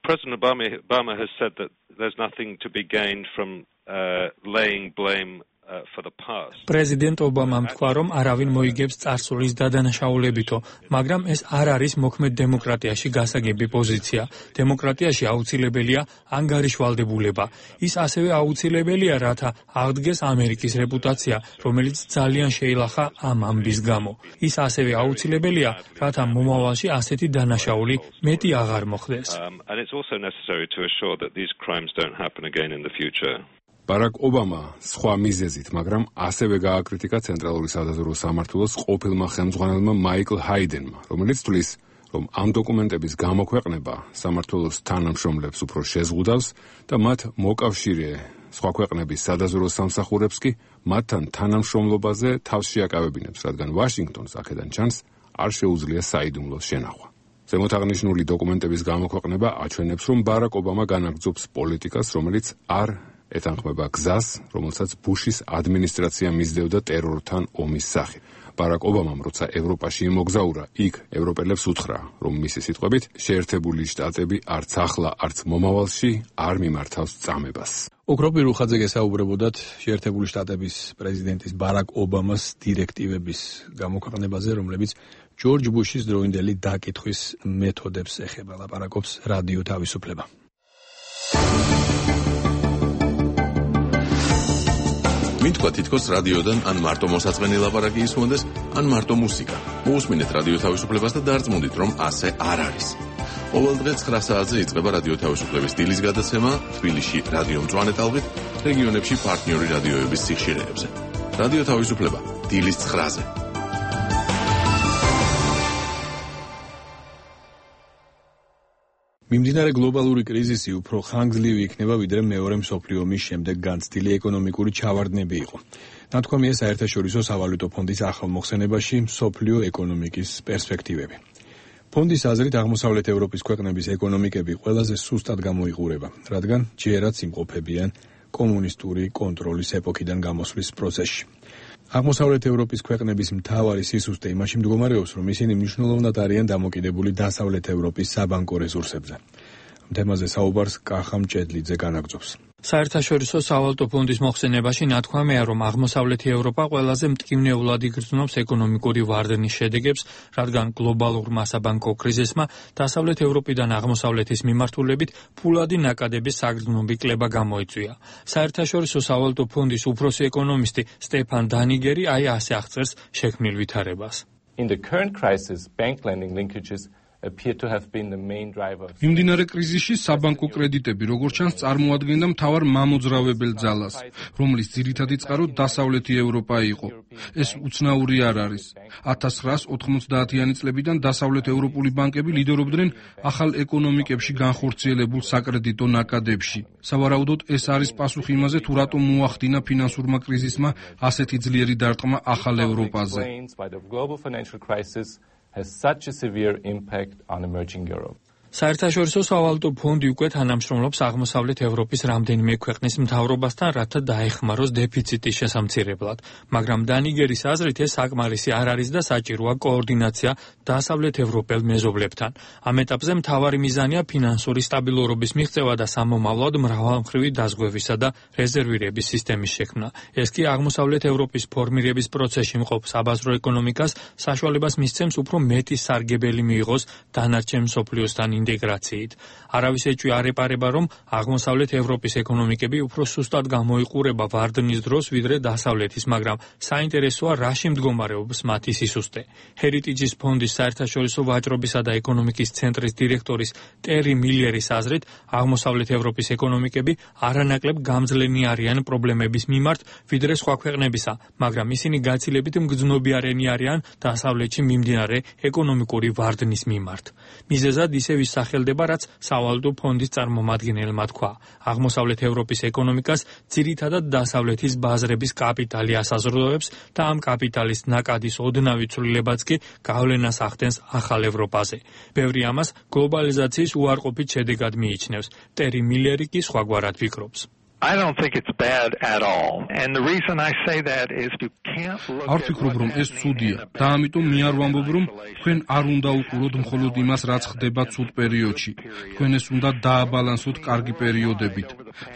President Obama, Obama has said that there's nothing to be gained from uh, laying blame uh, for the past. პრეზიდენტ ობამამ თქვა, რომ არავინ მოიგებს წარსულის დადანაშაულებითო, მაგრამ ეს არ არის მოქმედ დემოკრატიაში გასაგები პოზიცია. დემოკრატიაში აუცილებელია ანგარიშვალდებულება. ის ასევე აუცილებელია, რათა აღდგეს ამერიკის რეპუტაცია, რომელიც ძალიან შეილახა ამ ამბის გამო. ის ასევე აუცილებელია, რათა მომავალში ასეთი დანაშაული მეტი აღარ მოხდეს. Um, and it's also necessary to assure that these crimes don't happen again in the future. ბარაკ ობამა სხვა მიზეზით, მაგრამ ასევე გააკრიტიკა ცენტრალური სადაზვერვო სამმართველოს ყოფილმა ხელმძღვანელმა მაიკლ ჰაიდენმა, რომელიც თვლის, რომ ამ დოკუმენტების გამოქვეყნება სამმართველოს თანამშრომლებს უფრო შეზღუდავს და მათ მოკავშირე სხვა ქვეყნების სადაზვერვო სამსახურებს კი მათთან თანამშრომლობაზე თავს შეაკავებინებს, რადგან ვაშინგტონს აქედან ჩანს არ შეუძლია საიდუმლოს შენახვა. ზემოთ აღნიშნული დოკუმენტების გამოქვეყნება აჩვენებს, რომ ბარაკ ობამა განაგრძობს პოლიტიკას, რომელიც არ ეთანხმება გზას, რომელსაც ბუშის ადმინისტრაცია მისდევდა ტერორთან ომის სახით. ბარაკ ობამამ, როცა ევროპაში იმოგზაურა, იქ ევროპელებს უთხრა, რომ მისი სიტყვებით შეერთებული შტატები არც ახლა, არც მომავალში არ მიმართავს წამებას. ოქროპი რუხაძე გესაუბრებოდათ შეერთებული შტატების პრეზიდენტის ბარაკ ობამას დირექტივების გამოქვეყნებაზე, რომლებიც ჯორჯ ბუშის დროინდელი დაკითხვის მეთოდებს ეხება. ლაპარაკობს რადიო თავისუფლება. მითქვა თითქოს რადიოდან ან მარტო მოსაწყენი ლაპარაკი ისმონდეს, ან მარტო მუსიკა. მოусმინეთ რადიო თავისუფლებას და დარწმუნდით, რომ ასე არ არის. ყოველ დღე ცხრა საათზე იწყება რადიო თავისუფლების დილის გადაცემა თბილისში რადიო მწვანე ტალღით, რეგიონებში პარტნიორი რადიოების სიხშირეებზე. რადიო თავისუფლება დილის ცხრაზე. მიმდინარე გლობალური კრიზისი უფრო ხანგრძლივი იქნება, ვიდრე მეორე მსოფლიო ომის შემდეგ განცდილი ეკონომიკური ჩავარდნები იყო. ნათქვამია საერთაშორისო სავალუტო ფონდის ახალმოხსენებაში მსოფლიო ეკონომიკის პერსპექტივები. ფონდის აზრით აღმოსავლეთ ევროპის ქვეყნების ეკონომიკები ყველაზე სუსტად გამოიყურება, რადგან ჯერაც იმყოფებიან კომუნისტური კონტროლის ეპოქიდან გამოსვლის პროცესში. აღმოსავლეთ ევროპის ქვეყნების მთავარი სისუსტე იმაში მდგომარეობს, რომ ისინი მნიშვნელოვნად არიან დამოკიდებული დასავლეთ ევროპის საბანკო რესურსებზე. თემაზე საუბარს კახა მჭედლიძე განაგრძობს. საერთაშორისო სავალუტო ფონდის მოხსენებაში ნათქვამია, რომ აღმოსავლეთი ევროპა ყველაზე მტკივნეულად იგრძნობს ეკონომიკური ვარდნის შედეგებს, რადგან გლობალურმა საბანკო კრიზისმა დასავლეთ ევროპიდან აღმოსავლეთის მიმართულებით ფულადი ნაკადების საგრძნობი კლება გამოიწვია. საერთაშორისო სავალუტო ფონდის უფროსი ეკონომისტი სტეფან დანიგერი აი ასე აღწერს შექმნილ ვითარებას. In the current crisis, bank lending linkages მიმდინარე კრიზისში საბანკო კრედიტები, როგორც ჩანს, წარმოადგენდა მთავარ მამოძრავებელ ძალას, რომლის ძირითადი წყარო დასავლეთი ევროპა იყო. ეს უცნაური არ არის. ათას ცხრაას ოთხმოცდაათიანი წლებიდან დასავლეთ ევროპული ბანკები ლიდერობდნენ ახალ ეკონომიკებში განხორციელებულ საკრედიტო ნაკადებში. სავარაუდოდ ეს არის პასუხი იმაზე, თუ რატომ მოახდინა ფინანსურმა კრიზისმა ასეთი ძლიერი დარტყმა ახალ ევროპაზე. has such a severe impact on emerging Europe. საერთაშორისო სავალუტო ფონდი უკვე თანამშრომლობს აღმოსავლეთ ევროპის რამდენიმე ქვეყნის მთავრობასთან, რათა დაეხმაროს დეფიციტის შესამცირებლად. მაგრამ დანიგერის აზრით ეს საკმარისი არ არის და საჭიროა კოორდინაცია დასავლეთ ევროპელ მეზობლებთან. ამ ეტაპზე მთავარი მიზანია ფინანსური სტაბილურობის მიღწევა და სამომავლოდ მრავალმხრივი დაზღვევისა და რეზერვირების სისტემის შექმნა. ეს კი აღმოსავლეთ ევროპის ფორმირების პროცესში მყოფ საბაზრო ეკონომიკას საშუალებას მისცემს უფრო მეტი სარგებელი მიიღოს დანარჩენ მსოფლიოსთან ინტეგრაციით. არავის ეჭვი არ ეპარება, რომ აღმოსავლეთ ევროპის ეკონომიკები უფრო სუსტად გამოიყურება ვარდნის დროს, ვიდრე დასავლეთის, მაგრამ საინტერესოა რაში მდგომარეობს მათი სისუსტე. ჰერიტიჯის ფონდის საერთაშორისო ვაჭრობისა და ეკონომიკის ცენტრის დირექტორის ტერი მილერის აზრით, აღმოსავლეთ ევროპის ეკონომიკები არანაკლებ გამძლენი არიან პრობლემების მიმართ, ვიდრე სხვა ქვეყნებისა, მაგრამ ისინი გაცილებით მგრძნობიარენი არიან დასავლეთში მიმდინარე ეკონომიკური ვარდნის მიმართ. მიზეზად ისევ სახელდება, რაც სავალუტო ფონდის წარმომადგენელმა თქვა. აღმოსავლეთ ევროპის ეკონომიკას ძირითადად დასავლეთის ბაზრების კაპიტალი ასაზრდოებს და ამ კაპიტალის ნაკადის ოდნავი ცვლილებაც კი გავლენას ახდენს ახალ ევროპაზე. ბევრი ამას გლობალიზაციის უარყოფით შედეგად მიიჩნევს. ტერი მილერი კი სხვაგვარად ფიქრობს. I don't think it's bad at all. And the reason I say that is you can't look არ ვფიქრობ, რომ ეს ცუდია და ამიტომ მე არ ვამბობ, რომ თქვენ არ უნდა უყუროთ მხოლოდ იმას, რაც ხდება ცუდ პერიოდში. თქვენ ეს უნდა დააბალანსოთ კარგი პერიოდებით.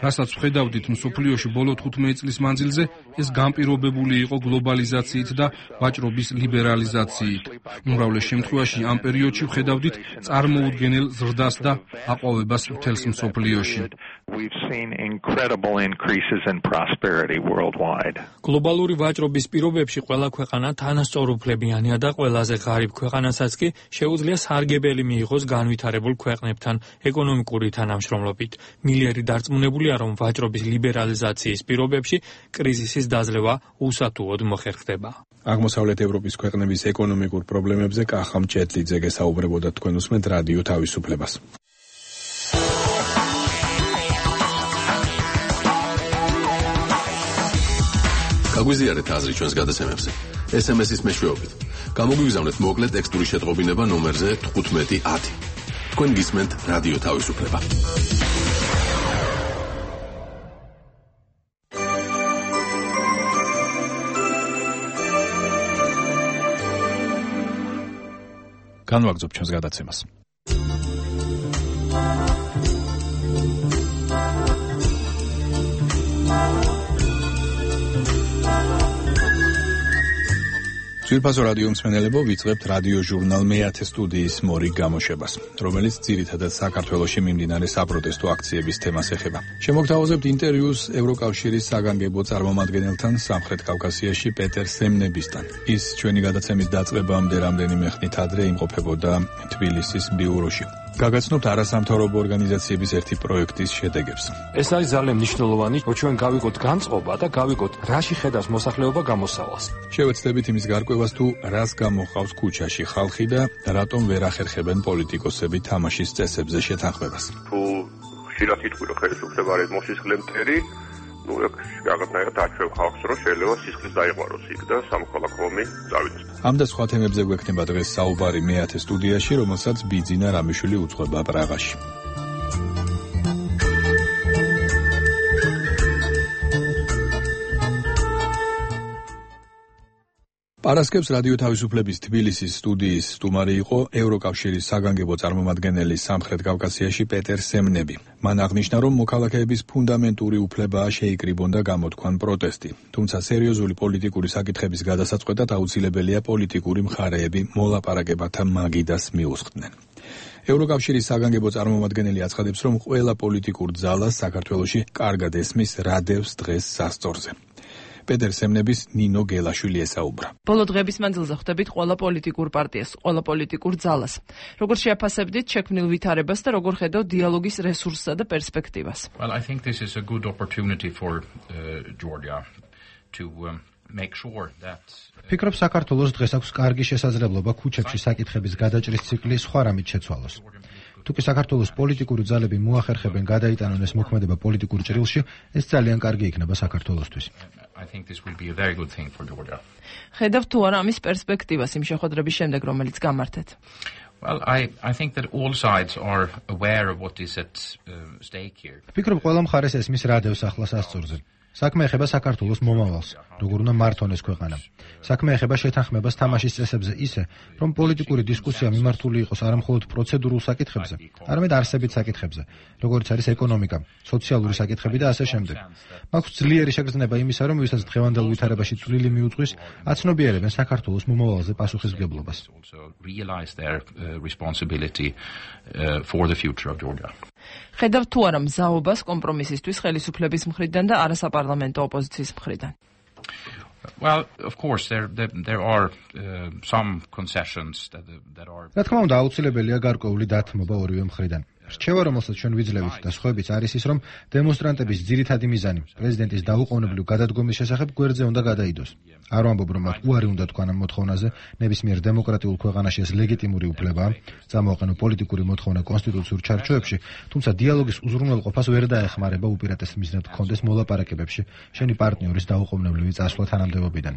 რასაც ვხედავდით მსოფლიოში ბოლო თხუთმეტი წლის მანძილზე, ეს განპირობებული იყო გლობალიზაციით და ვაჭრობის ლიბერალიზაციით. უმრავლეს შემთხვევაში ამ პერიოდში ვხედავდით წარმოუდგენელ ზრდას და აყვავებას მთელს მსოფლიოში. We've seen incredible increases in prosperity worldwide. გლობალური ვაჭრობის პირობებში ყველა ქვეყანა თანასწორუფლებიანია და ყველაზე ღარიბ ქვეყანასაც კი შეუძლია სარგებელი მიიღოს განვითარებულ ქვეყნებთან ეკონომიკური თანამშრომლობით. მილერი დარწმუნებულია, რომ ვაჭრობის ლიბერალიზაციის პირობებში კრიზისის დაძლევა უსათუოდ მოხერხდება. აღმოსავლეთ ევროპის ქვეყნების ეკონომიკურ პრობლემებზე კახა მჭედლიძე გესაუბრებოდა, თქვენ უსმენთ რადიო თავისუფლებას. გაგვიზიარეთ აზრი ჩვენს გადაცემებზე. ეს ემ ეს-ის მეშვეობით. გამოგვიგზავნეთ მოკლე ტექსტური შეტყობინება ნომერზე თხუთმეტი ათი. თქვენ გისმენთ რადიო თავისუფლება. განვაგრძობ ჩვენს გადაცემას. ძვირფასო რადიო მსმენელებო, ვიწყებთ რადიო ჟურნალ მეათე სტუდიის მორიგ გამოშვებას, რომელიც ძირითადად საქართველოში მიმდინარე საპროტესტო აქციების თემას ეხება. შემოგთავაზებთ ინტერვიუს ევროკავშირის საგანგებო წარმომადგენელთან სამხრეთ კავკასიაში პეტერ სემნებისთან. ის ჩვენი გადაცემის დაწყებამდე რამდენიმე ხნით ადრე იმყოფებოდა თბილისის ბიუროში. გაგაცნობთ არასამთავრობო ორგანიზაციების ერთი პროექტის შედეგებს. ეს არის ძალიან მნიშვნელოვანი, რომ ჩვენ გავიგოთ განწყობა და გავიგოთ, რაში ხედავს მოსახლეობა გამოსავალს. შევეცდებით იმის გარკვევას, თუ რას გამოხავს ქუჩაში ხალხი და რატომ ვერ ახერხებენ პოლიტიკოსები თამაშის წესებზე შეთანხმებას. თუ ხშირად იტყვი, რომ ხელისუფლება არის მოსისხლე მტერი, ну, რაღაცნაირად აჩვევ ხალხს, რომ შეიძლება სისხლის დაიყვაროს იქ და სამოქალაქო ომი წავიდეს. ამ და სხვა თემებზე გვექნება დღეს საუბარი მეათე სტუდიაში, რომელსაც ბიძინა რამიშვილი უძღვება პრაღაში. პარასკევს რადიო თავისუფლების თბილისის სტუდიის სტუმარი იყო ევროკავშირის საგანგებო წარმომადგენელი სამხრეთ კავკასიაში პეტერ სემნები. მან აღნიშნა, რომ მოქალაქეების ფუნდამენტური უფლებაა შეიკრიბონ და გამოთქვან პროტესტი. თუმცა სერიოზული პოლიტიკური საკითხების გადასაწყვეტად აუცილებელია პოლიტიკური მხარეები მოლაპარაკებათა მაგიდას მიუსხდნენ. ევროკავშირის საგანგებო წარმომადგენელი აცხადებს, რომ ყველა პოლიტიკურ ძალას საქართველოში კარგად ესმის რა დევს დღეს სასწორზე. პეტერ სემნების ნინო გელაშვილი ესაუბრა. ბოლო დღების მანძილზე ხვდებით ყველა პოლიტიკურ პარტიას, ყველა პოლიტიკურ ძალას. როგორ შეაფასებდით შექმნილ ვითარებას და როგორ ხედავთ დიალოგის რესურსსა და პერსპექტივას? Well, I think this is a good opportunity for uh, Georgia to um, make sure that ფიქრობ საქართველოს დღეს აქვს კარგი შესაძლებლობა ქუჩებში საკითხების გადაჭრის ციკლი სხვა რამით შეცვალოს. თუკი საქართველოს პოლიტიკური ძალები მოახერხებენ გადაიტანონ ეს მოქმედება პოლიტიკურ ჭრილში, ეს ძალიან კარგი იქნება საქართველოსთვის. I think this will be a very good thing for Georgia. ხედავთ თუ არა ამის პერსპექტივას იმ შეხვედრების შემდეგ, რომელიც გამართეთ? Well, I I think that all sides are aware of what is at uh, stake here. ფიქრობ ყველა მხარეს ესმის რა დევს ახლა სასწორზე. საქმე ეხება საქართველოს მომავალს, როგორ უნდა მართონ ეს ქვეყანა. საქმე ეხება შეთანხმებას თამაშის წესებზე ისე, რომ პოლიტიკური დისკუსია მიმართული იყოს არა მხოლოდ პროცედურულ საკითხებზე, არამედ არსებით საკითხებზე, როგორც არის ეკონომიკა, სოციალური საკითხები და ასე შემდეგ. მაქვს ძლიერი შეგრძნება იმისა, რომ ვისაც დღევანდელ ვითარებაში წვლილი მიუძღვის, აცნობიერებენ საქართველოს მომავალზე პასუხისმგებლობას. Realize their uh, responsibility uh, for the future of Georgia. ხედავთ თუ არა მზაობას კომპრომისისთვის ხელისუფლების მხრიდან და არასაპარლამენტო ოპოზიციის მხრიდან? Well, of course there there, there are uh, some concessions that that are რა თქმა უნდა აუცილებელია გარკვეული დათმობა ორივე მხრიდან. რჩევა, რომელსაც ჩვენ ვიძლევით და სხვაებიც არის ის, რომ დემონსტრანტების ძირითადი მიზანი პრეზიდენტის დაუყოვნებლივ გადადგომის შესახებ გვერდზე უნდა გადაიდოს. არ ვამბობ, რომ მათ უარი უნდა თქვან ამ მოთხოვნაზე, ნებისმიერ დემოკრატიულ ქვეყანაში ეს ლეგიტიმური უფლებაა, წამოაყენო პოლიტიკური მოთხოვნა კონსტიტუციურ ჩარჩოებში, თუმცა დიალოგის უზრუნველყოფას ვერ დაეხმარება უპირატეს მიზნად გქონდეს მოლაპარაკებებში შენი პარტნიორის დაუყოვნებლივი წასვლა თანამდებობიდან.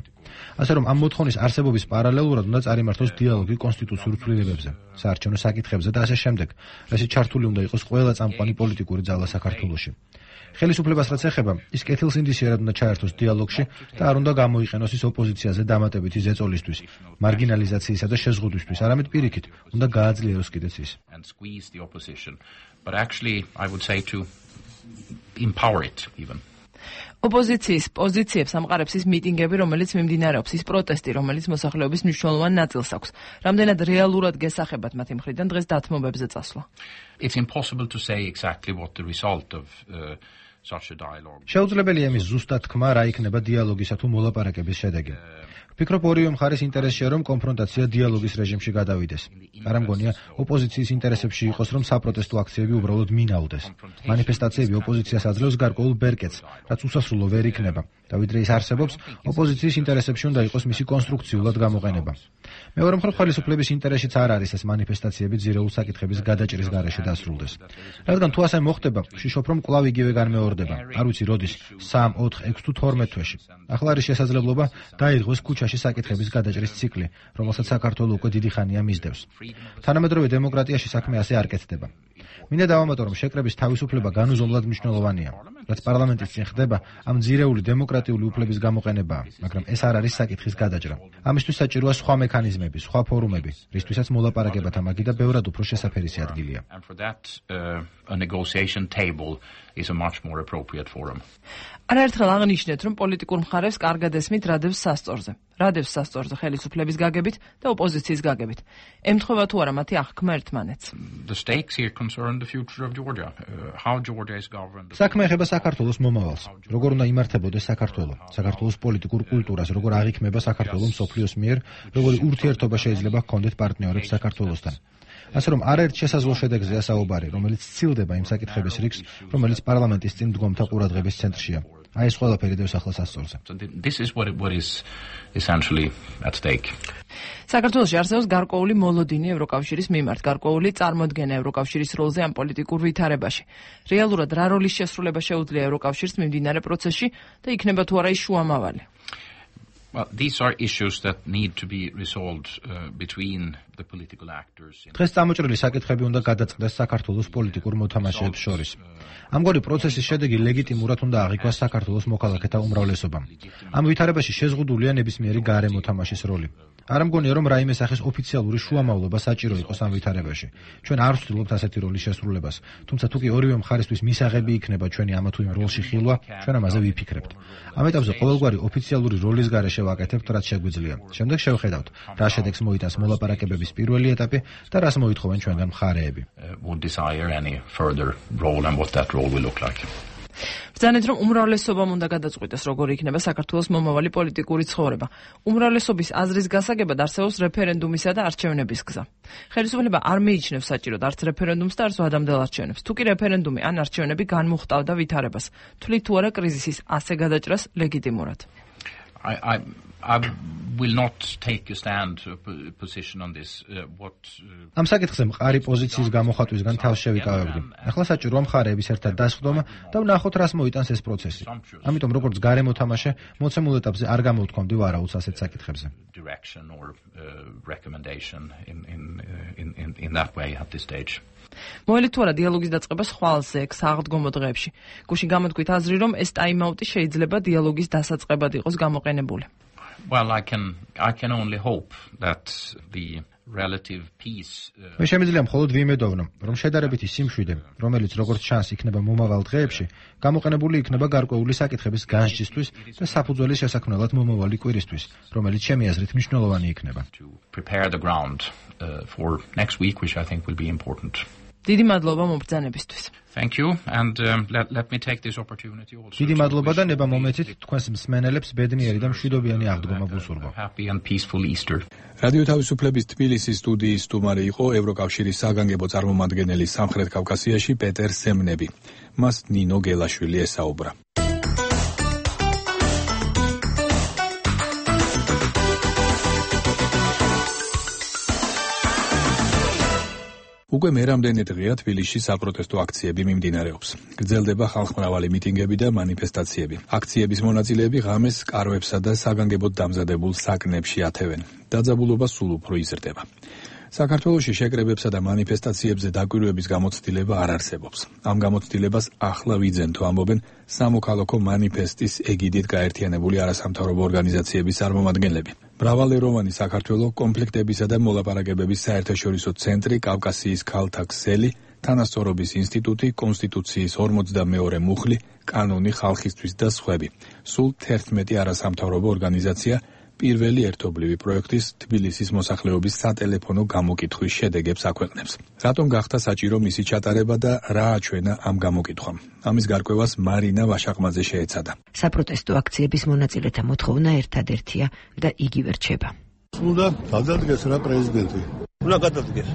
ასე რომ ამ მოთხოვნის არსებობის პარალელურად უნდა წარიმართოს დიალოგი კონსტიტუციურ ცვლილებებზე, საარჩევნო საკითხებზე და ასე შემდეგ, რასაც ჩართული უნდა იყოს ყველა წამყვანი პოლიტიკური ძალა საქართველოში. ხელისუფლებას რაც ეხება, ის კეთილსინდისიერად უნდა ჩაერთოს დიალოგში და არ უნდა გამოიყენოს ის ოპოზიციაზე დამატებითი ზეწოლისთვის, მარგინალიზაციისა და შეზღუდვისთვის, არამედ პირიქით, უნდა გააძლიეროს კიდეც ის. And squeeze the opposition, but actually I would say to empower it even. ოპოზიციის პოზიციებს ამყარებს ის მიტინგები, რომელიც მიმდინარეობს, ის პროტესტი, რომელიც მოსახლეობის მნიშვნელოვან ნაწილს აქვს. რამდენად რეალურად გესახებათ მათი მხრიდან დღეს დათმობებზე წასვლა? It's impossible to say exactly what the result of uh, such a dialogue. შეუძლებელია იმის ზუსტად თქმა, რა იქნება დიალოგისა თუ მოლაპარაკების შედეგი. ვფიქრობ, ორივე მხარის ინტერესია, რომ კონფრონტაცია დიალოგის რეჟიმში გადავიდეს. არ ამგონია, ოპოზიციის ინტერესებში იყოს, რომ საპროტესტო აქციები უბრალოდ მინაუდეს. მანიფესტაციები ოპოზიციას აძლევს გარკვეულ ბერკეტს, რაც უსასრულო ვერ იქნება. და ვიდრე ის არსებობს, ოპოზიციის ინტერესებში უნდა იყოს მისი კონსტრუქციულად გამოყენება. მეორე მხრივ, ხელისუფლების ინტერესშიც არ არის ეს მანიფესტაციები ძირეულ საკითხების გადაჭრის გარეშე დასრულდეს. რადგან თუ ასე მოხდება, ვშიშობ, რომ კვლავ იგივე განმეორდება. არ ვიცი როდის, სამი, ოთხი, ექვსი თუ თორმეტ თვეში. ახლა არის შესაძლებლობა დაირღვეს ქუჩაში საკითხების გადაჭრის ციკლი, რომელსაც საქართველოს უკვე დიდი ხანია მისდევს. თანამედროვე დემოკრატიაში საქმე ასე არ კეთდება. მინდა დავამატო, რომ შეკრების თავისუფლება განუზომლად მნიშვნელოვანია. რაც პარლამენტის წინ ხდება, ამ ძირეული დემოკრატიული უფლების გამოყენებაა, მაგრამ ეს არ არის საკითხის გადაჭრა. ამისთვის საჭიროა სხვა მექანიზმები, სხვა ფორუმები, რისთვისაც მოლაპარაკებათა მაგიდა ბევრად უფრო შესაფერისი ადგილია. And for that uh, a negotiation table is a much more appropriate forum. არაერთხელ აღნიშნეთ, რომ პოლიტიკურ მხარეს კარგად ესმით რა დევს სასწორზე. რადევს სასწორზე ხელისუფლების გაგებით და ოპოზიციის გაგებით. ემთხვევა თუ არა მათი აღქმა ერთმანეთს. The stakes here concern the future of Georgia. Uh, how Georgia is governed. საქმე ეხება საქართველოს მომავალს. როგორ უნდა იმართებოდეს საქართველო, საქართველოს პოლიტიკურ კულტურას, როგორ აღიქმება საქართველო მსოფლიოს მიერ, როგორი ურთიერთობა შეიძლება ჰქონდეთ პარტნიორებს საქართველოსთან. ასე რომ არაერთ შესაძლო შედეგზეა საუბარი, რომელიც სცილდება იმ საკითხების რიგს, რომელიც პარლამენტის წინ მდგომთა ყურადღების ცენტრშია. აი ეს ყველაფერი დევს ახლა სასწორზე. This is what it, what is essentially at stake. საქართველოში არსებობს გარკვეული მოლოდინი ევროკავშირის მიმართ, გარკვეული წარმოდგენა ევროკავშირის როლზე ამ პოლიტიკურ ვითარებაში. რეალურად რა როლის შესრულება შეუძლია ევროკავშირს მიმდინარე პროცესში და იქნება თუ არა ის შუამავალი? Well, these are issues that need to be resolved uh, between the political actors. დღეს წამოჭრილი საკითხები უნდა გადაწყდეს საქართველოს პოლიტიკურ მოთამაშეებს შორის. ამგვარი პროცესის შედეგი ლეგიტიმურად უნდა აღიქვას საქართველოს მოქალაქეთა უმრავლესობამ. ამ ვითარებაში შეზღუდულია ნებისმიერი გარე მოთამაშის როლი. არ მგონია რომ რაიმე სახის ოფიციალური შუამავლობა საჭირო იყოს ამ ვითარებაში. ჩვენ არ ვცდილობთ ასეთი როლის შესრულებას, თუმცა თუ კი ორივე მხარისთვის მისაღები იქნება ჩვენი ამა თუ იმ როლში ხილვა, ჩვენ ამაზე ვიფიქრებთ. ამ ეტაპზე ყოველგვარი ოფიციალური როლის გარეშე ვაკეთებთ, რაც შეგვიძლია. შემდეგ შევხედავთ, რა შედეგს მოიტანს მოლაპარაკებების პირველი ეტაპი და რას მოითხოვენ ჩვენგან მხარეები. Would desire any further role and what that role will look like. ბრძანეთ რომ უმრავლესობამ უნდა გადაწყვიტოს როგორი იქნება საქართველოს მომავალი პოლიტიკური ცხოვრება. უმრავლესობის აზრის გასაგებად არსებობს რეფერენდუმისა და არჩევნების გზა. ხელისუფლება არ მიიჩნევს საჭიროდ არც რეფერენდუმს და არც ვადამდელ არჩევნებს. თუ კი რეფერენდუმი ან არჩევნები განმუხტავდა ვითარებას, თვლით თუ არა კრიზისის ასე გადაჭრას ლეგიტიმურად? I, I, I will not take a stand a position on this. Uh, what uh, ამ საკითხზე მყარი პოზიციის გამოხატვისგან თავს შევიკავებდი. ახლა საჭიროა მხარეების ერთად დასხდომა და ვნახოთ რას მოიტანს ეს პროცესი. ამიტომ როგორც გარე მოთამაშე, მოცემულ ეტაპზე არ გამოვთქვამდი ვარაუდს ასეთ საკითხებზე. Direction or uh, recommendation in in in in in that way at this stage. მოელით თუ არა დიალოგის დაწყება ხვალზე ეგ საღდგომო დღეებში. გუშინ გამოთქვით აზრი რომ ეს ტაიმაუტი შეიძლება დიალოგის დასაწყებად იყოს გამოყენებული. Well, I can I can only hope that the relative peace uh, მე შემიძლია მხოლოდ ვიმედოვნო, რომ შედარებითი სიმშვიდე, რომელიც როგორც ჩანს იქნება მომავალ დღეებში, გამოყენებული იქნება გარკვეული საკითხების განსჯისთვის და საფუძველის შესაქმნელად მომავალი კვირისთვის, რომელიც ჩემი აზრით მნიშვნელოვანი იქნება. to prepare the ground uh, for next week, which I think will be important. დიდი მადლობა მომბრძანებისთვის. Thank you, and um, let, let me take this opportunity also. დიდი მადლობა და ნება მომეცით თქვენს მსმენელებს ბედნიერი და მშვიდობიანი აღდგომა ვუსურვო. Happy and peaceful Easter. რადიო თავისუფლების თბილისის სტუდიის სტუმარი იყო ევროკავშირის საგანგებო წარმომადგენელი სამხრეთ კავკასიაში პეტერ სემნები. მას ნინო გელაშვილი ესაუბრა. უკვე მერამდენი დღეა თბილისში საპროტესტო აქციები მიმდინარეობს. გრძელდება ხალხმრავალი მიტინგები და მანიფესტაციები. აქციების მონაწილეები ღამეს კარვებსა და საგანგებოდ დამზადებულ საკნებში ათევენ. დაძაბულობა სულ უფრო იზრდება. საქართველოში შეკრებებსა და მანიფესტაციებზე დაკვირვების გამოცდილება არ არსებობს. ამ გამოცდილებას ახლა ვიძენთო, ამბობენ სამოქალაქო მანიფესტის ეგიდით გაერთიანებული არასამთავრობო ორგანიზაციების წარმომადგენლები. მრავალეროვანი საქართველო კონფლიქტებისა და მოლაპარაკებების საერთაშორისო ცენტრი, კავკასიის ქალთა ქსელი, თანასწორობის ინსტიტუტი, კონსტიტუციის ორმოცდამეორე მუხლი, კანონი ხალხისთვის და სხვები. სულ თერთმეტი არასამთავრობო ორგანიზაცია პირველი ერთობლივი პროექტის თბილისის მოსახლეობის სატელეფონო გამოკითხვის შედეგებს აქვეყნებს. რატომ გახდა საჭირო მისი ჩატარება და რა აჩვენა ამ გამოკითხვამ? ამის გარკვევას მარინა ვაშაყმაძე შეეცადა. საპროტესტო აქციების მონაწილეთა მოთხოვნა ერთადერთია და იგივე რჩება. უნდა გადადგეს რა პრეზიდენტი. უნდა გადადგეს.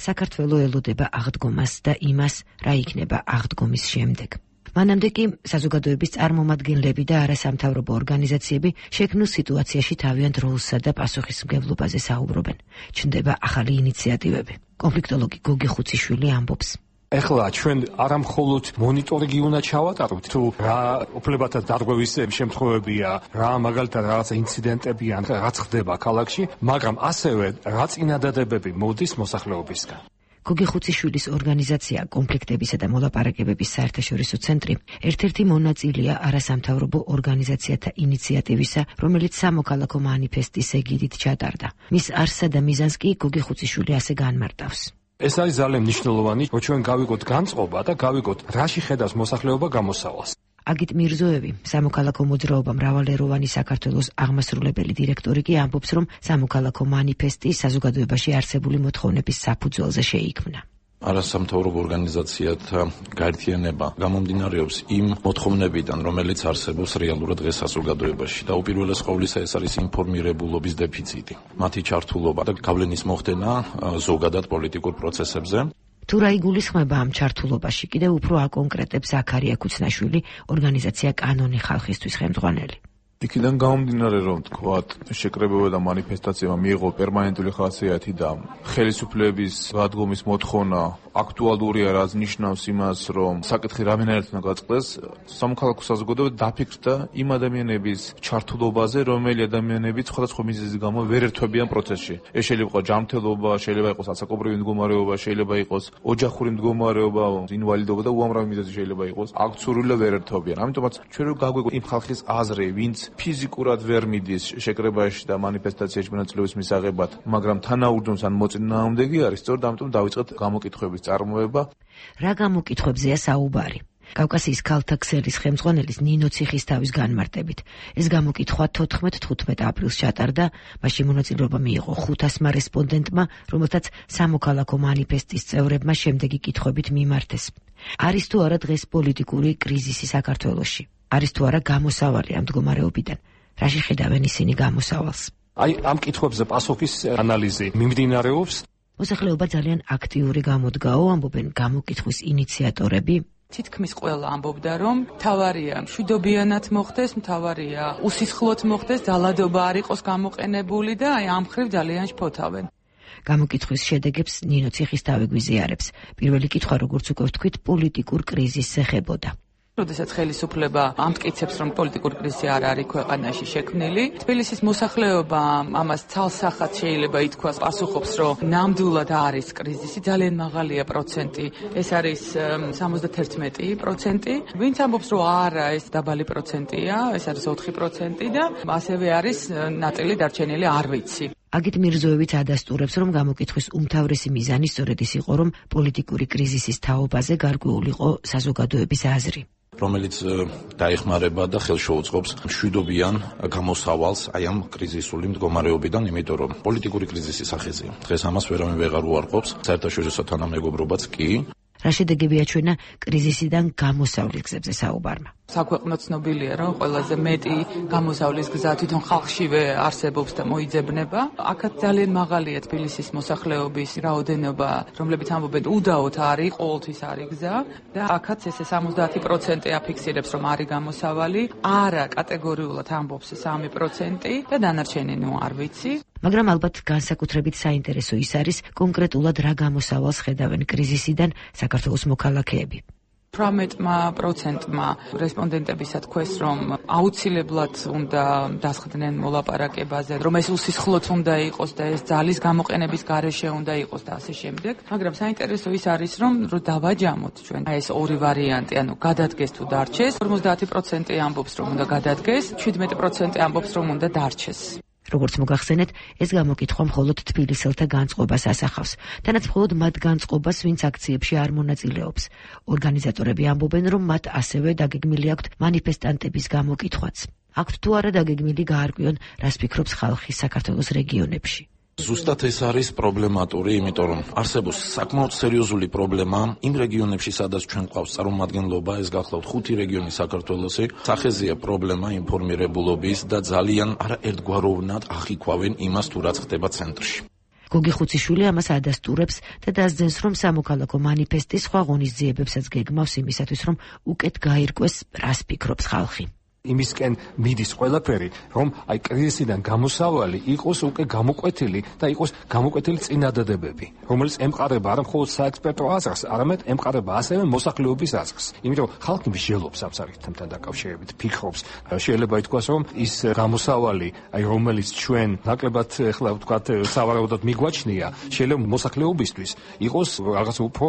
საქართველო ელოდება აღდგომას და იმას, რა იქნება აღდგომის შემდეგ. მანამდე კი საზოგადოების წარმომადგენლები და არასამთავრობო ორგანიზაციები შექმნილ სიტუაციაში თავიანთ როლსა და პასუხისმგებლობაზე საუბრობენ. ჩნდება ახალი ინიციატივები. კონფლიქტოლოგი გოგი ხუციშვილი ამბობს. ეხლა ჩვენ არა მხოლოდ მონიტორინგი უნდა ჩავატაროთ, თუ რა უფლებათა დარღვევის შემთხვევებია, რა მაგალითად რაღაცა ინციდენტებია, რაც ხდება ქალაქში, მაგრამ ასევე რა წინადადებები მოდის მოსახლეობისგან. გოგი ხუციშვილის ორგანიზაცია კონფლიქტებისა და მოლაპარაკებების საერთაშორისო ცენტრი ერთ-ერთი მონაწილეა არასამთავრობო ორგანიზაციათა ინიციატივისა, რომელიც სამოქალაქო მანიფესტის ეგიდით ჩატარდა. მის არსსა და მიზანს კი გოგი ხუციშვილი ასე განმარტავს. ეს არის ძალიან მნიშვნელოვანი, რომ ჩვენ გავიგოთ განწყობა და გავიგოთ, რაში ხედავს მოსახლეობა გამოსავალს. აგიტ მირზოევი, სამოქალაქო მოძრაობა მრავალეროვანი საქართველოს აღმასრულებელი დირექტორი კი ამბობს, რომ სამოქალაქო მანიფესტი საზოგადოებაში არსებული მოთხოვნების საფუძველზე შეიქმნა. არასამთავრობო ორგანიზაციათა გაერთიანება გამომდინარეობს იმ მოთხოვნებიდან, რომელიც არსებობს რეალურად დღეს საზოგადოებაში და უპირველეს ყოვლისა ეს არის ინფორმირებულობის დეფიციტი. მათი ჩართულობა და გავლენის მოხდენა ზოგადად პოლიტიკურ პროცესებზე. თუ რა იგულისხმება ამ ჩართულობაში, კიდევ უფრო აკონკრეტებს ზაქარია ქუცნაშვილი, ორგანიზაცია კანონი ხალხისთვის ხელმძღვანელი. იქიდან გამომდინარე, რომ თქვათ, შეკრებება და მანიფესტაციამ მიიღო პერმანენტული ხასიათი და ხელისუფლების გადგომის მოთხოვნა აქტუალურია, რაც ნიშნავს იმას, რომ საკითხი რამდენადაც უნდა გაწყდეს, სამოქალაქო საზოგადოება დაფიქრდა იმ ადამიანების ჩართულობაზე, რომელი ადამიანები სხვადასხვა მიზეზის გამო ვერ ერთვებიან პროცესში. ეს შეიძლება იყოს ჯანმრთელობა, შეიძლება იყოს ასაკობრივი მდგომარეობა, შეიძლება იყოს ოჯახური მდგომარეობა, ინვალიდობა და უამრავი მიზეზი შეიძლება იყოს. აქ ცურვილა ვერ ერთვებიან. ამიტომაც ჩვენ რო გაგვიგო იმ ხალხის აზრი, ვინც ფიზიკურად ვერ მიდის შეკრებაში და მანიფესტაციაში მონაწილეობის მისაღებად, მაგრამ თანაუგრძნობს ან მოწინააღმდეგე არის, სწორედ ამიტომ დავიწყეთ გამოკითხვების წარმოება. რა გამოკითხვებზეა საუბარი? კავკასიის ქალთა ქსელის ხელმძღვანელის ნინო ციხისთავის განმარტებით, ეს გამოკითხვა თოთხმეტ-თხუთმეტ აპრილს ჩატარდა, მასში მონაწილეობა მიიღო ხუთასმა რესპონდენტმა, რომელთაც სამოქალაქო მანიფესტის წევრებმა შემდეგი კითხვებით მიმართეს. არის თუ არა დღეს პოლიტიკური კრიზისი საქართველოში? არის თუ არა გამოსავალი ამ მდგომარეობიდან? რაში ხედავენ ისინი გამოსავალს? აი, ამ კითხვებზე პასუხის ანალიზი მიმდინარეობს. მოსახლეობა ძალიან აქტიური გამოდგაო, ამბობენ გამოკითხვის ინიციატორები. თითქმის ყველა ამბობდა, რომ მთავარია მშვიდობიანად მოხდეს, მთავარია უსისხლოდ მოხდეს, ძალადობა არ იყოს გამოყენებული და აი ამ ხრივ ძალიან შფოთავენ. გამოკითხვის შედეგებს ნინო ციხისთავი გვიზიარებს. პირველი კითხვა, როგორც უკვე ვთქვით, პოლიტიკურ კრიზისს ეხებოდა. როდესაც ხელისუფლება ამტკიცებს, რომ პოლიტიკური კრიზისი არ არის ქვეყანაში შექმნილი, თბილისის მოსახლეობა ამას ცალსახად შეიძლება ითქვას, პასუხობს, რომ ნამდვილად არის კრიზისი, ძალიან მაღალია პროცენტი, ეს არის სამოცდაერთმეტი პროცენტი. ვინც ამბობს, რომ არა, ეს დაბალი პროცენტია, ეს არის ოთხი პროცენტი და ასევე არის ნაწილი დარჩენილი არ ვიცი. აგიტ მირზოევიც ადასტურებს, რომ გამოკითხვის უმთავრესი მიზანი სწორედ ის იყო, რომ პოლიტიკური კრიზისის თაობაზე გარკვეული იყო საზოგადოების აზრი, რომელიც დაეხმარება და ხელშეუწყობს მშვიდობიან გამოსავალს აი ამ კრიზისული მდგომარეობიდან, იმიტომ რომ პოლიტიკური კრიზისი სახეზია. დღეს ამას ვერავინ ვეღარ უარყოფს, საერთაშორისო თანამეგობრობაც კი. რა შედეგები აჩვენა კრიზისიდან გამოსავლის გზებზე საუბარმა? საქვეყნო ცნობილია, რომ ყველაზე მეტი გამოსავლის გზა თვითონ ხალხშივე არსებობს და მოიძებნება. აქაც ძალიან მაღალია თბილისის მოსახლეობის რაოდენობა, რომლებიც ამბობენ უდაოდ არის, ყოველთვის არის გზა და აქაც ესე სამოცდაათი პროცენტი აფიქსირებს, რომ არის გამოსავალი, არა კატეგორიულად ამბობს სამი პროცენტი და დანარჩენი ნუ არ ვიცი. მაგრამ ალბათ განსაკუთრებით საინტერესო ის არის კონკრეტულად რა გამოსავალს ხედავენ კრიზისიდან საქართველოს მოქალაქეები. თვრამეტმა პროცენტმა რესპონდენტებისა თქვეს, რომ აუცილებლად უნდა დასხდნენ მოლაპარაკებაზე, რომ ეს უსისხლოდ უნდა იყოს და ეს ძალის გამოყენების გარეშე უნდა იყოს და ასე შემდეგ. მაგრამ საინტერესო ის არის, რომ დავაჯამოთ ჩვენ ეს ორი ვარიანტი, ანუ გადადგეს თუ დარჩეს. ორმოცდაათი პროცენტი ამბობს, რომ უნდა გადადგეს, შვიდმეტი პროცენტი ამბობს, რომ უნდა დარჩეს. როგორც მოგახსენეთ, ეს გამოკითხვა მხოლოდ თბილისელთა განწყობას ასახავს. თანაც მხოლოდ მათ განწყობას, ვინც აქციებში არ მონაწილეობს. ორგანიზატორები ამბობენ, რომ მათ ასევე დაგეგმილი აქვთ მანიფესტანტების გამოკითხვაც. აქვთ თუ არა დაგეგმილი გაარკვიონ, რას ფიქრობს ხალხი საქართველოს რეგიონებში. ზუსტად ეს არის პრობლემატური, იმიტომ რომ არსებობს საკმაოდ სერიოზული პრობლემა იმ რეგიონებში, სადაც ჩვენ გვყავს წარმომადგენლობა, ეს გახლავთ ხუთი რეგიონი საქართველოსი. სახეზეა პრობლემა ინფორმირებულობის და ძალიან არაერთგვაროვნად ახიქვავენ იმას, თუ რაც ხდება ცენტრში. გოგი ხუციშვილი ამას ადასტურებს და დასძენს, რომ სამოქალაქო მანიფესტი სხვა ღონისძიებებსაც გეგმავს იმისათვის, რომ უკეთ გაირკვეს, რას ფიქრობს ხალხი. იმისკენ მიდის ყველაფერი, რომ აი კრიზისიდან გამოსავალი იყოს უკვე გამოკვეთილი და იყოს გამოკვეთილი წინადადებები, რომელიც ემყარება არა მხოლოდ საექსპერტო აზრს, არამედ ემყარება ასევე მოსახლეობის აზრს. იმიტომ ხალხი მსჯელობს ამ საკითხთან დაკავშირებით, ფიქრობს, შეიძლება ითქვას, რომ ის გამოსავალი, აი რომელიც ჩვენ ნაკლებად ახლა ვთქვათ სავარაუდოდ მიგვაჩნია, შეიძლება მოსახლეობისთვის იყოს რაღაც უფრო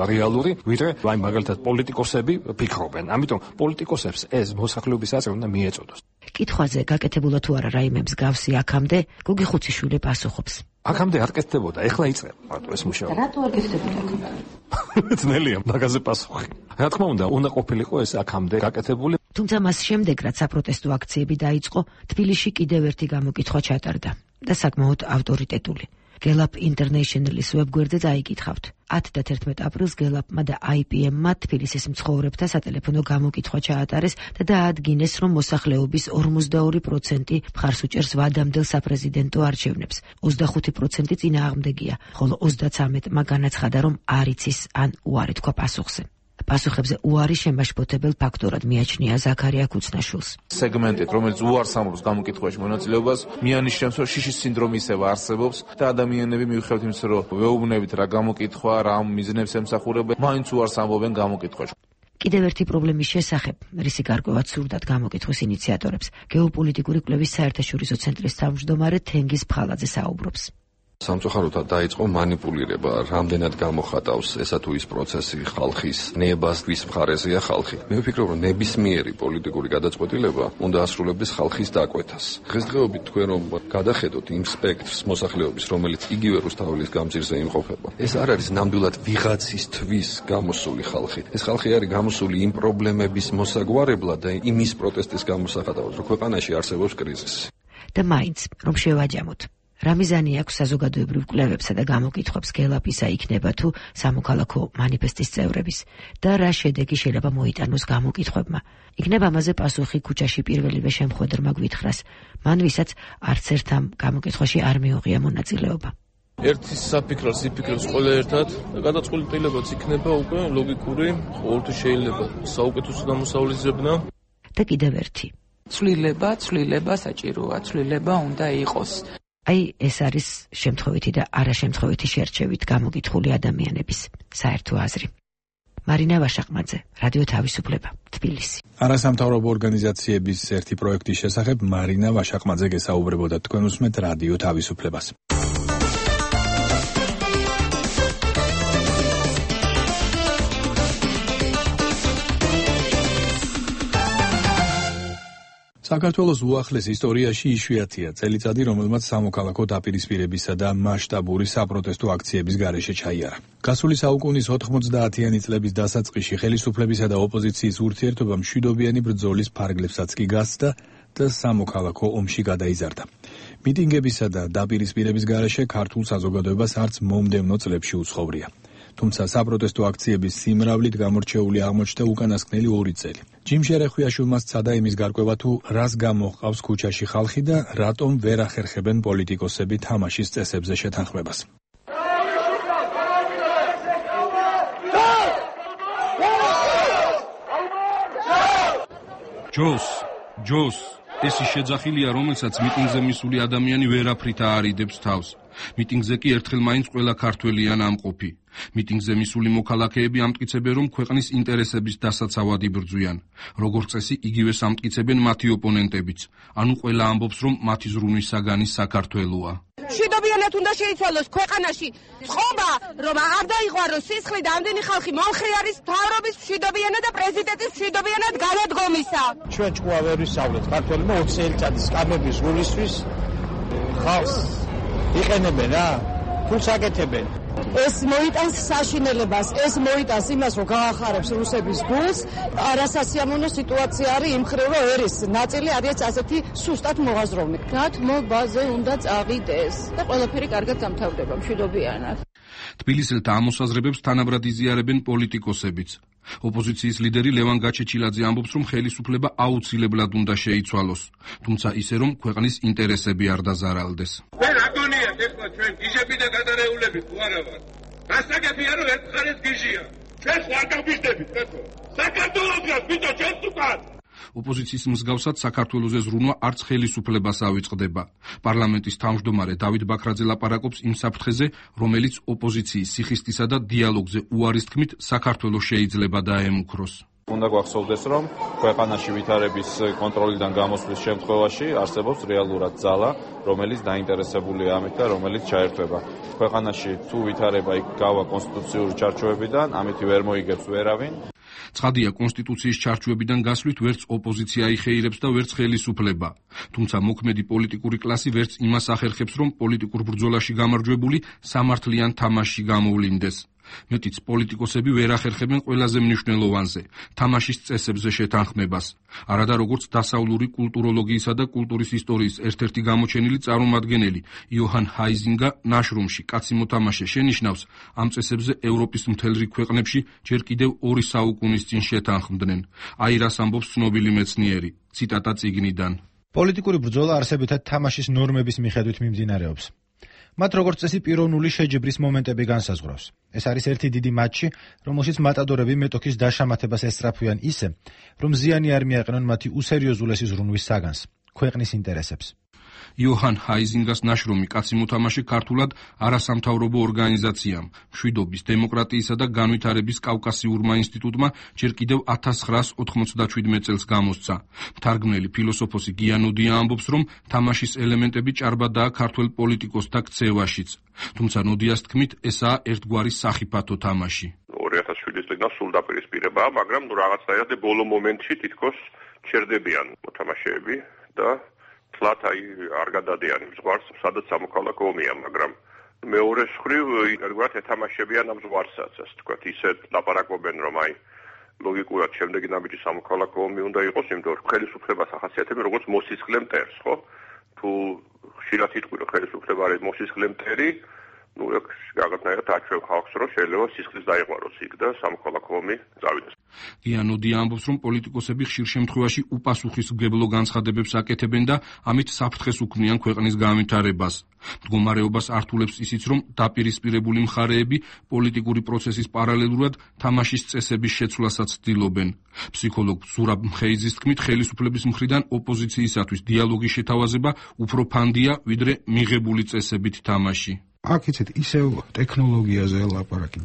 რეალური, ვიდრე აი მაგალითად პოლიტიკოსები ფიქრობენ. ამიტომ პოლიტიკოსებს ეს მოსახლეობის უნდა მიეწოდოს. კითხვაზე გაკეთებულა თუ არა რაიმე მსგავსი აქამდე, გოგი ხუციშვილი პასუხობს. აქამდე არ კეთდებოდა, ეხლა იწყება მარტო ეს მუშაობა. რატო არ კეთდებოდა აქამდე? ძნელია მაგაზე პასუხი. რა თქმა უნდა, უნდა ყოფილიყო ეს აქამდე გაკეთებული. თუმცა მას შემდეგ, რაც საპროტესტო აქციები დაიწყო, თბილისში კიდევ ერთი გამოკითხვა ჩატარდა და საკმაოდ ავტორიტეტული. Gallup International-ის ვებგვერდზე წაიკითხავთ. ათი და თერთმეტი აპრილს Gallup-მა და I P M-მა თბილისის მცხოვრებთა სატელეფონო გამოკითხვა ჩაატარეს და დაადგინეს, რომ მოსახლეობის ორმოცდაორი პროცენტი მხარს უჭერს ვადამდელ საპრეზიდენტო არჩევნებს. ოცდახუთი პროცენტი წინააღმდეგია, ხოლო ოცდაცამეტმა განაცხადა, რომ არ იცის ან უარი თქვა პასუხზე. პასუხებზე უარი შემაშფოთებელ ფაქტორად მიაჩნია ზაქარია ქუცნაშვილს. სეგმენტით, რომელიც უარს ამბობს გამოკითხვაში მონაწილეობას, მიანიშნებს, რომ შიშის სინდრომი ისევ არსებობს და ადამიანები მიუხედავად იმისა, რომ ვეუბნებით რა გამოკითხვა, რა მიზნებს ემსახურებენ, მაინც უარს ამბობენ გამოკითხვაში. კიდევ ერთი პრობლემის შესახებ, რისი გარკვევაც სურდათ გამოკითხვის ინიციატორებს, გეოპოლიტიკური კვლევის საერთაშორისო ცენტრის თავმჯდომარე თენგიზ ფხალაძე საუბრობს. სამწუხაროდ დაიწყო манипулირება, რამდენად გამოხატავს ესა თუ ის პროცესი ხალხის ნებას, ვის მხარეზეა ხალხი. მე ვფიქრობ, რომ ნებისმიერი პოლიტიკური გადაწყვეტილება უნდა ასრულებდეს ხალხის დაკვეთას. დღესდღეობით თქვენ რომ გადახედოთ იმ სპექტრს მოსახლეობის, რომელიც იგივე რუსთაველის გამზირზე იმყოფება, ეს არ არის ნამდვილად ვიღაცისთვის გამოსული ხალხი. ეს ხალხი არის გამოსული იმ პრობლემების მოსაგვარებლად და იმის პროტესტის გამოსახატავად, რომ ქვეყანაში არსებობს კრიზისი. და მაინც, რომ შევაჯამოთ. რა მიზანი აქვს საზოგადოებრივ კვლევებსა და გამოკითხვებს Gallup-ისა იქნება თუ სამოქალაქო მანიფესტის წევრების და რა შედეგი შეიძლება მოიტანოს გამოკითხვებმა. იქნება ამაზე პასუხი ქუჩაში პირველივე შემხვედრმა გვითხრას, მან ვისაც არც ერთ ამ გამოკითხვაში არ მიუღია მონაწილეობა. ერთის საფიქროს იფიქრებს ყველა ერთად და გადაწყვეტილებაც იქნება უკვე ლოგიკური, ყოველთვის შეიძლება საუკეთესო დამოსავლისებნა და კიდევ ერთი. ცვლილება, ცვლილება საჭიროა, ცვლილება უნდა იყოს. აი ეს არის შემთხვევითი და არაშემთხვევითი შერჩევით გამოგითხული ადამიანების საერთო აზრი. მარინა ვაშაყმაძე, რადიო თავისუფლება, თბილისი. არასამთავრობო ორგანიზაციების ერთი პროექტის შესახებ მარინა ვაშაყმაძე გესაუბრებოდა. თქვენ უსმენთ რადიო თავისუფლებას. საქართველოს უახლეს ისტორიაში იშვიათია წელიწადი, რომელმაც სამოქალაქო დაპირისპირებისა და მასშტაბური საპროტესტო აქციების გარეშე ჩაიარა. გასული საუკუნის ოთხმოცდაათიანი წლების დასაწყისში ხელისუფლებისა და ოპოზიციის ურთიერთობა მშვიდობიანი ბრძოლის ფარგლებსაც კი გასცდა და სამოქალაქო ომში გადაიზარდა. მიტინგებისა და დაპირისპირების გარეშე ქართულ საზოგადოებას არც მომდევნო წლებში უცხოვრია. თუმცა საპროტესტო აქციების სიმრავლით გამორჩეული აღმოჩნდა უკანასკნელი ორი წელი. ჯიმ შერეხვიაშვილმა სცადა იმის გარკვევა თუ რას გამოჰყავს ქუჩაში ხალხი და რატომ ვერ ახერხებენ პოლიტიკოსები თამაშის წესებზე შეთანხმებას. ჯოს, ჯოს, ეს ის შეძახილია, რომელსაც მიტინგზე მისული ადამიანი ვერაფრით აარიდებს თავს. მიტინგზე კი ერთხელ მაინც ყველა ქართველიან ამყოფი. მიტინგზე მისული მოქალაქეები ამტკიცებენ, რომ ქვეყნის ინტერესების დასაცავად იბრძვიან. როგორც წესი, იგივეს ამტკიცებენ მათი ოპონენტებიც. ანუ ყველა ამბობს, რომ მათი ზრუნვის საგანი საქართველოა. მშვიდობიანად უნდა შეიცვალოს ქვეყანაში წყობა, რომ არ დაიღვაროს სისხლი და ამდენი ხალხი მომხრე არის მთავრობის მშვიდობიანად და პრეზიდენტის მშვიდობიანად განადგომისა. ჩვენ ჭკუა ვერ ვისწავლეთ ქართველებმა ოცი წელიწადის სკამების გულისთვის ხალხს იყენებენ რა, ფულს აკეთებენ. ეს მოიტანს საშინელებას, ეს მოიტანს იმას, რომ გაახარებს რუსების გულს. არასასიამოვნო სიტუაცია არის იმ მხრივ, რომ ერის ნაწილი არის ასეთი სუსტად მოაზროვნე. დათმობაზე უნდა წავიდეს და ყველაფერი კარგად გამთავრდება მშვიდობიანად. თბილისელთა ამოსაზრებებს თანაბრად იზიარებენ პოლიტიკოსებიც. ოპოზიციის ლიდერი ლევან გაჩეჩილაძე ამბობს, რომ ხელისუფლება აუცილებლად უნდა შეიცვალოს, თუმცა ისე, რომ ქვეყნის ინტერესები არ დაზარალდეს. მე რა გონიათ ეხლა ჩვენ გიჟები და გადარეულები თუ არა ვარ? გასაგებია, რომ ერთ მხარეს გიჟია. ჩვენ ხარ გავიჟდებით, კაცო. საქართველოსგან ბიჭო ჩვენც უკან. ოპოზიციის მსგავსად საქართველოზე ზრუნვა არც ხელისუფლებას ავიწყდება. პარლამენტის თავმჯდომარე დავით ბაქრაძე ლაპარაკობს იმ საფრთხეზე, რომელიც ოპოზიციის სიხისტისა და დიალოგზე უარის თქმით საქართველოს შეიძლება დაემუქროს. უნდა გვახსოვდეს, რომ ქვეყანაში ვითარების კონტროლიდან გამოსვლის შემთხვევაში არსებობს რეალურად ძალა, რომელიც დაინტერესებულია ამით და რომელიც ჩაერთვება. ქვეყანაში თუ ვითარება იქ გავა კონსტიტუციური ჩარჩოებიდან, ამით ვერ მოიგებს ვერავინ. ცხადია, კონსტიტუციის ჩარჩოებიდან გასვლით ვერც ოპოზიცია იხეირებს და ვერც ხელისუფლება. თუმცა მოქმედი პოლიტიკური კლასი ვერც იმას ახერხებს, რომ პოლიტიკურ ბრძოლაში გამარჯვებული სამართლიან თამაშში გამოვლინდეს. მეტიც პოლიტიკოსები ვერ ახერხებენ ყველაზე მნიშვნელოვანზე, თამაშის წესებზე შეთანხმებას. არადა როგორც დასავლური კულტუროლოგიისა და კულტურის ისტორიის ერთ-ერთი გამოჩენილი წარმომადგენელი იოჰან ჰაიზინგა ნაშრომში კაცი მოთამაშე შენიშნავს, ამ წესებზე ევროპის მთელ რიგ ქვეყნებში ჯერ კიდევ ორი საუკუნის წინ შეთანხმდნენ. აი რას ამბობს ცნობილი მეცნიერი. ციტატა წიგნიდან. პოლიტიკური ბრძოლა არსებითად თამაშის ნორმების მიხედვით მიმდინარეობს. მათ როგორც წესი პიროვნული შეჯიბრის მომენტები განსაზღვრავს. ეს არის ერთი დიდი მატჩი, რომელშიც მატადორები მეტოქის დაშამათებას ესწრაფვიან ისე, რომ ზიანი არ მიაყენონ მათი უსერიოზულესი ზრუნვის საგანს, ქვეყნის ინტერესებს. იოჰან ჰაიზინგას ნაშრომი კაცი მოთამაშე ქართულად არასამთავრობო ორგანიზაციამ, მშვიდობის, დემოკრატიისა და განვითარების კავკასიურმა ინსტიტუტმა ჯერ კიდევ ათას ცხრაას ოთხმოცდაშვიდმეტ წელს გამოსცა. მთარგმნელი ფილოსოფოსი გიანოდია ამბობს, რომ თამაშის ელემენტები ჭარბადაა ქართველ პოლიტიკოსთა ქცევაშიც. თუმცა ნოდიას თქმით, ესაა ერთგვარი სახიფათო თამაში. ორი ათას შვიდის წლიდან სულ დაპირისპირებაა, მაგრამ ნუ რაღაცნაირად ბოლო მომენტში თითქოს ჩერდებიან მოთამაშეები და თლათ აი არ გადადიან იმ ზღვარს, სადაც სამოქალაქო ომია, მაგრამ მეორე მხრივ ერთგვარად ეთამაშებიან ამ ზღვარსაც, ასე თქვათ, ისეთ ლაპარაკობენ, რომ აი ლოგიკურად შემდეგი ნაბიჯი სამოქალაქო ომი უნდა იყოს, იმიტომ რომ ხელისუფლებას ახასიათებენ როგორც მოსისხლე მტერს, ხო? თუ ხშირად იტყვი რომ ხელისუფლება არის მოსისხლე მტერი, ну, ეგ რაღაცნაირად აჩვევ ხალხს, რომ შეიძლება სისხლის დაიყვანოს იქ და სამოქალაქო ომი წავიდეს. გიანოდია ამბობს, რომ პოლიტიკოსები ხშირ შემთხვევაში უპასუხისმგებლო განცხადებებს აკეთებენ და ამით საფრთხეს უქმნიან ქვეყნის განვითარებას. მდგომარეობას ართულებს ისიც, რომ დაპირისპირებული მხარეები პოლიტიკური პროცესის პარალელურად თამაშის წესების შეცვლასაც ცდილობენ. ფსიქოლოგ ზურაბ მხეიძის თქმით, ხელისუფლების მხრიდან ოპოზიციისათვის დიალოგის შეთავაზება უფრო ფანდია, ვიდრე მიღებული წესებით თამაში. აქ იცით ისევ ტექნოლოგიაზე ლაპარაკი.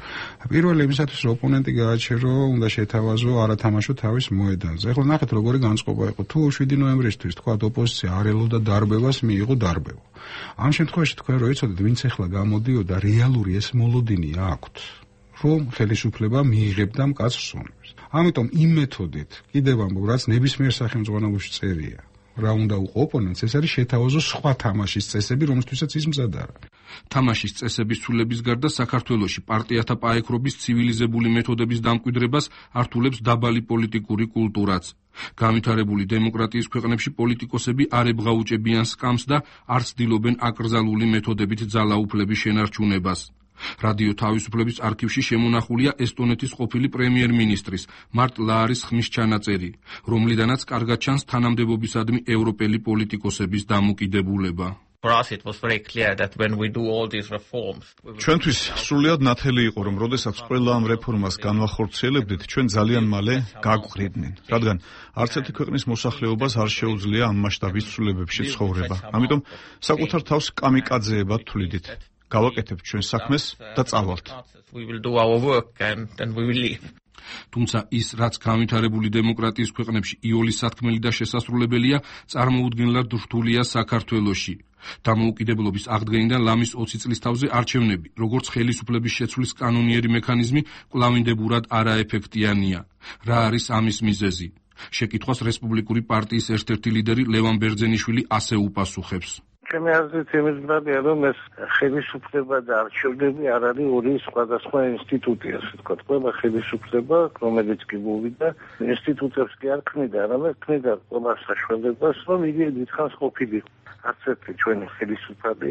პირველი იმისათვის რომ ოპონენტი გააჩერო, უნდა შეთავაზო არათამაშო თავის მოედანზე. ეხლა ნახეთ როგორი განწყობა იყო. თუ შვიდი ნოემბრისთვის თქვა ოპოზიცია არ ელოდა დარბევას, მიიღო დარბევა. ამ შემთხვევაში თქვენ რო იცოდეთ, ვინც ეხლა გამოდიოდა, რეალური ეს მოლოდინი აქვთ, რომ ხელისუფლება მიიღებდა მკაცრ სუნებს. ამიტომ იმ მეთოდით, კიდევ ამბობ, რაც ნებისმიერ სახელმწიფოში წერია, რა უნდა უყო ოპონენტს, ეს არის შეთავაზო სხვა თამაშის წესები, რომლისთვისაც ის მზად არა. თამაშის წესების ცვლილების გარდა საქართველოში პარტიათა პაექრობის ცივილიზებული მეთოდების დამკვიდრებას ართულებს დაბალი პოლიტიკური კულტურაც. განვითარებული დემოკრატიის ქვეყნებში პოლიტიკოსები არ ებღაუჭებიან სკამს და არ ცდილობენ აკრძალული მეთოდებით ძალაუფლების შენარჩუნებას. რადიო თავისუფლების არქივში შემონახულია ესტონეთის ყოფილი პრემიერ-მინისტრის მარტ ლაარის ხმის ჩანაწერი, რომლიდანაც კარგად ჩანს თანამდებობისადმი ევროპელი პოლიტიკოსების დამოკიდებულება. For us it was very clear that when we do all these reforms ჩვენთვის სრულიად ნათელი იყო რომ როდესაც ყველა ამ რეფორმას განვახორციელებდით ჩვენ ძალიან მალე გაგვყრიდნენ რადგან არც ერთი ქვეყნის მოსახლეობას არ შეუძლია ამ მასშტაბის ცვლილებებში ცხოვრება ამიტომ საკუთარ თავს კამიკაძეებად თვლიდით გავაკეთებთ ჩვენ საქმეს და წავალთ we will do our work and then we will leave თუმცა ის, რაც განვითარებული დემოკრატიის ქვეყნებში იოლის სათქმელი და შესასრულებელია, წარმოუდგენლად რთულია საქართველოში. დამოუკიდებლობის აღდგენიდან ლამის ოცი წლის თავზე არჩევნები, როგორც ხელისუფლების შეცვლის კანონიერი მექანიზმი, კვლავინდებურად არაეფექტიანია. რა არის ამის მიზეზი? შეკითხვას რესპუბლიკური პარტიის ერთ-ერთი ლიდერი ლევან ბერძენიშვილი ასე უპასუხებს. ჩემი აზრით იმის მხრია, რომ ეს ხელისუფლება და არჩევნები არ არის ორი სხვადასხვა ინსტიტუტი, ასე ვთქვათ. ყველა ხელისუფლება, რომელიც კი მოვიდა, ინსტიტუტებს კი არ ქმნიდა, არამედ ქმნიდა ყველა საშუალებას, რომ იგი დიდხანს ყოფილიყო. არც ერთი ჩვენი ხელისუფლება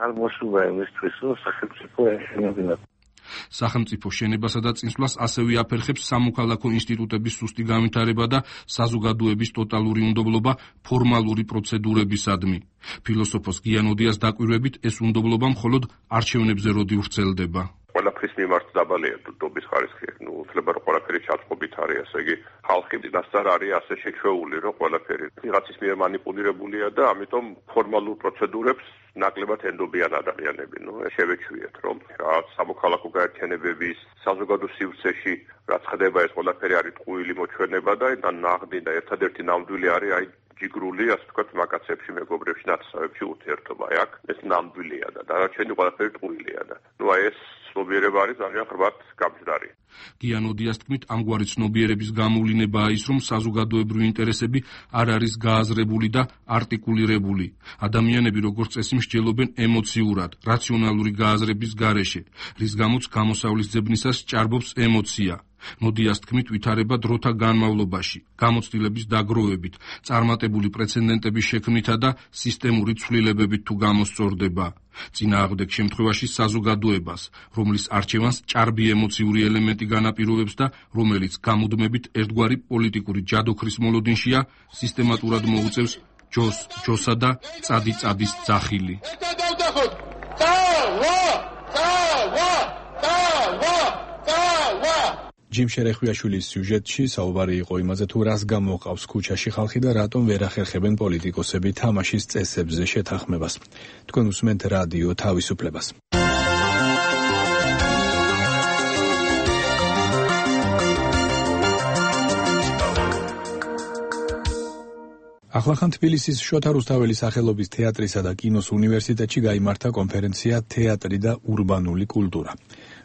არ მოსულა იმისთვის, რომ სახელმწიფო ეშენებინა. სახელმწიფო შენებასა და წინსვლას ასევე აფერხებს სამოქალაქო ინსტიტუტების სუსტი განვითარება და საზოგადოების ტოტალური უნდობლობა ფორმალური პროცედურებისადმი. ფილოსოფოს გიანოდიას დაკვირვებით, ეს უნდობლობა მხოლოდ არჩევნებზე როდი ვრცელდება. ყველაფრის მიმართ დაბალია დობის ხარისხი. ნუ ძლება რომ ყველაფერი ჩაწყობით არის, ასე იგი ხალხი წინასწარ არის ასე შეჩვეული, რომ ყველაფერი ვიღაცის მიერ манипуლირებულია და ამიტომ ფორმალურ პროცედურებს ნაკლებად ენდობიან ადამიანები. ნუ შევეჩვიეთ, რომ რაღაც სამოქალაქო გაერთიანებების საზოგადო სივრცეში რაც ხდება, ეს ყველაფერი არის ტყუილი მოჩვენება და ნაღდი და ერთადერთი ნამდვილი არის აი ჯიგრული, ასე ვთქვათ, მაკაცებში, მეგობრებში, ნაცნობებში ურთიერთობა აქ. ეს ნამდვილია და დანარჩენი ყველაფერი ტყუილია და ნუ აი ეს ცნობიერება არის ძალიან ხრბად გამჯდარი. გიანოდიას თქმით, ამგვარი ცნობიერების გამოვლინებაა ის, რომ საზოგადოებრივი ინტერესები არ არის გააზრებული და არტიკულირებული. ადამიანები როგორც წესი მსჯელობენ ემოციურად, რაციონალური გააზრების გარეშე, რის გამოც გამოსავლის ძებნისას ჭარბობს ემოცია. ნოდიას თქმით, ვითარება დროთა განმავლობაში, გამოცდილების დაგროვებით, წარმატებული პრეცედენტების შექმნითა და სისტემური ცვლილებებით თუ გამოსწორდება. წინააღმდეგ შემთხვევაში საზოგადოებას, რომლის არჩევანს ჭარბი ემოციური ელემენტი განაპირობებს და რომელიც გამუდმებით ერთგვარი პოლიტიკური ჯადოქრის მოლოდინშია, სისტემატურად მოუწევს ჯოს ჯოსა და წადი წადის ძახილი. ჯიმ შერეხვიაშვილის სიუჟეტში საუბარი იყო იმაზე, თუ რას გამოყავს ქუჩაში ხალხი და რატომ ვერ ახერხებენ პოლიტიკოსები თამაშის წესებზე შეთანხმებას. თქვენ უსმენთ რადიო თავისუფლებას. ახლახან თბილისის შოთა რუსთაველის სახელობის თეატრისა და კინოს უნივერსიტეტში გაიმართა კონფერენცია „თეატრი და ურბანული კულტურა“,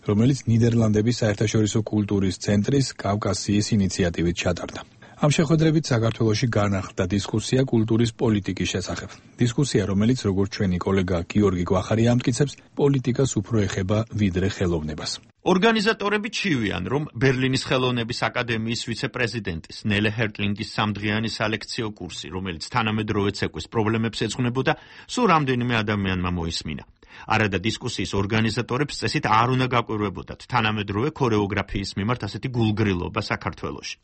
რომელიც ნიდერლანდების საერთაშორისო კულტურის ცენტრის კავკასიის ინიციატივით ჩატარდა. ამ შეხვედრებით საქართველოში განახლდა დისკუსია კულტურის პოლიტიკის შესახებ. დისკუსია, რომელიც როგორც ჩვენი კოლეგა გიორგი გვახარი ამტკიცებს, პოლიტიკას უფრო ეხება ვიდრე ხელოვნებას. ორგანიზატორები ჩივიან, რომ ბერლინის ხელოვნების აკადემიის ვიცე-პრეზიდენტის ნელე ჰერტლინგის სამდღიანი სალექციო კურსი, რომელიც თანამედროვე ცეკვის პრობლემებს ეძღვნებოდა, სულ რამდენიმე ადამიანმა მოისმინა. არადა დისკუსიის ორგანიზატორებს წესით არ უნდა გაკვირვებოდათ თანამედროვე ქორეოგრაფიის მიმართ ასეთი გულგრილობა საქართველოში.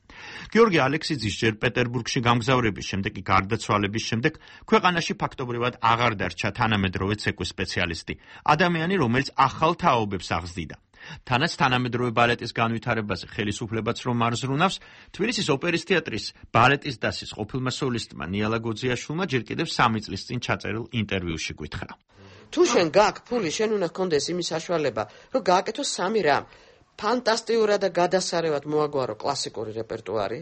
გიორგი ალექსიძის ჯერ პეტერბურგში გამგზავრების შემდეგ კი გარდაცვალების შემდეგ ქვეყანაში ფაქტობრივად აღარ დარჩა თანამედროვე ცეკვის სპეციალისტი, ადამიანი, რომელიც ახალ თაობებს აღზრდიდა. თანაც თანამედროვე ბალეტის განვითარებაზე ხელისუფლებაც რომ არ ზრუნავს, თბილისის ოპერის თეატრის ბალეტის დასის ყოფილმა სოლისტმა ნიალა გოძიაშვილმა ჯერ კიდევ სამი წლის წინ ჩაწერილ ინტერვიუში გითხრა. თუ შენ გაქვს ფული, შენ უნდა გქონდეს იმის საშუალება, რომ გააკეთო სამი რამ. ფანტასტიურად და გადასარევად მოაგვარო კლასიკური რეპერტუარი,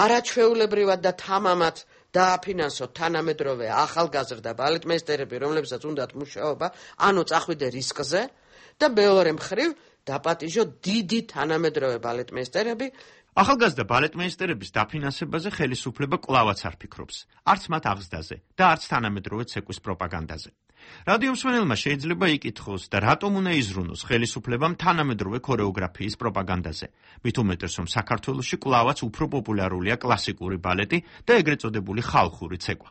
არაჩვეულებრივად და თამამად დააფინანსო თანამედროვე ახალგაზრდა ბალეტმეისტერები, რომლებსაც უნდათ მუშაობა, ანუ წახვიდე რისკზე და მეორე მხრივ დაპატიჟო დიდი თანამედროვე ბალეტმეისტერები. ახალგაზრდა ბალეტმეისტერების დაფინანსებაზე ხელისუფლება კვლავაც არ ფიქრობს, არც მათ აღზრდაზე და არც თანამედროვე ცეკვის პროპაგანდაზე. რადიო მსმენელმა შეიძლება იკითხოს და რატომ უნდა იზრუნოს ხელისუფლებამ თანამედროვე ქორეოგრაფიის პროპაგანდაზე, მით უმეტეს რომ საქართველოში კვლავაც უფრო პოპულარულია კლასიკური ბალეტი და ეგრეთ წოდებული ხალხური ცეკვა.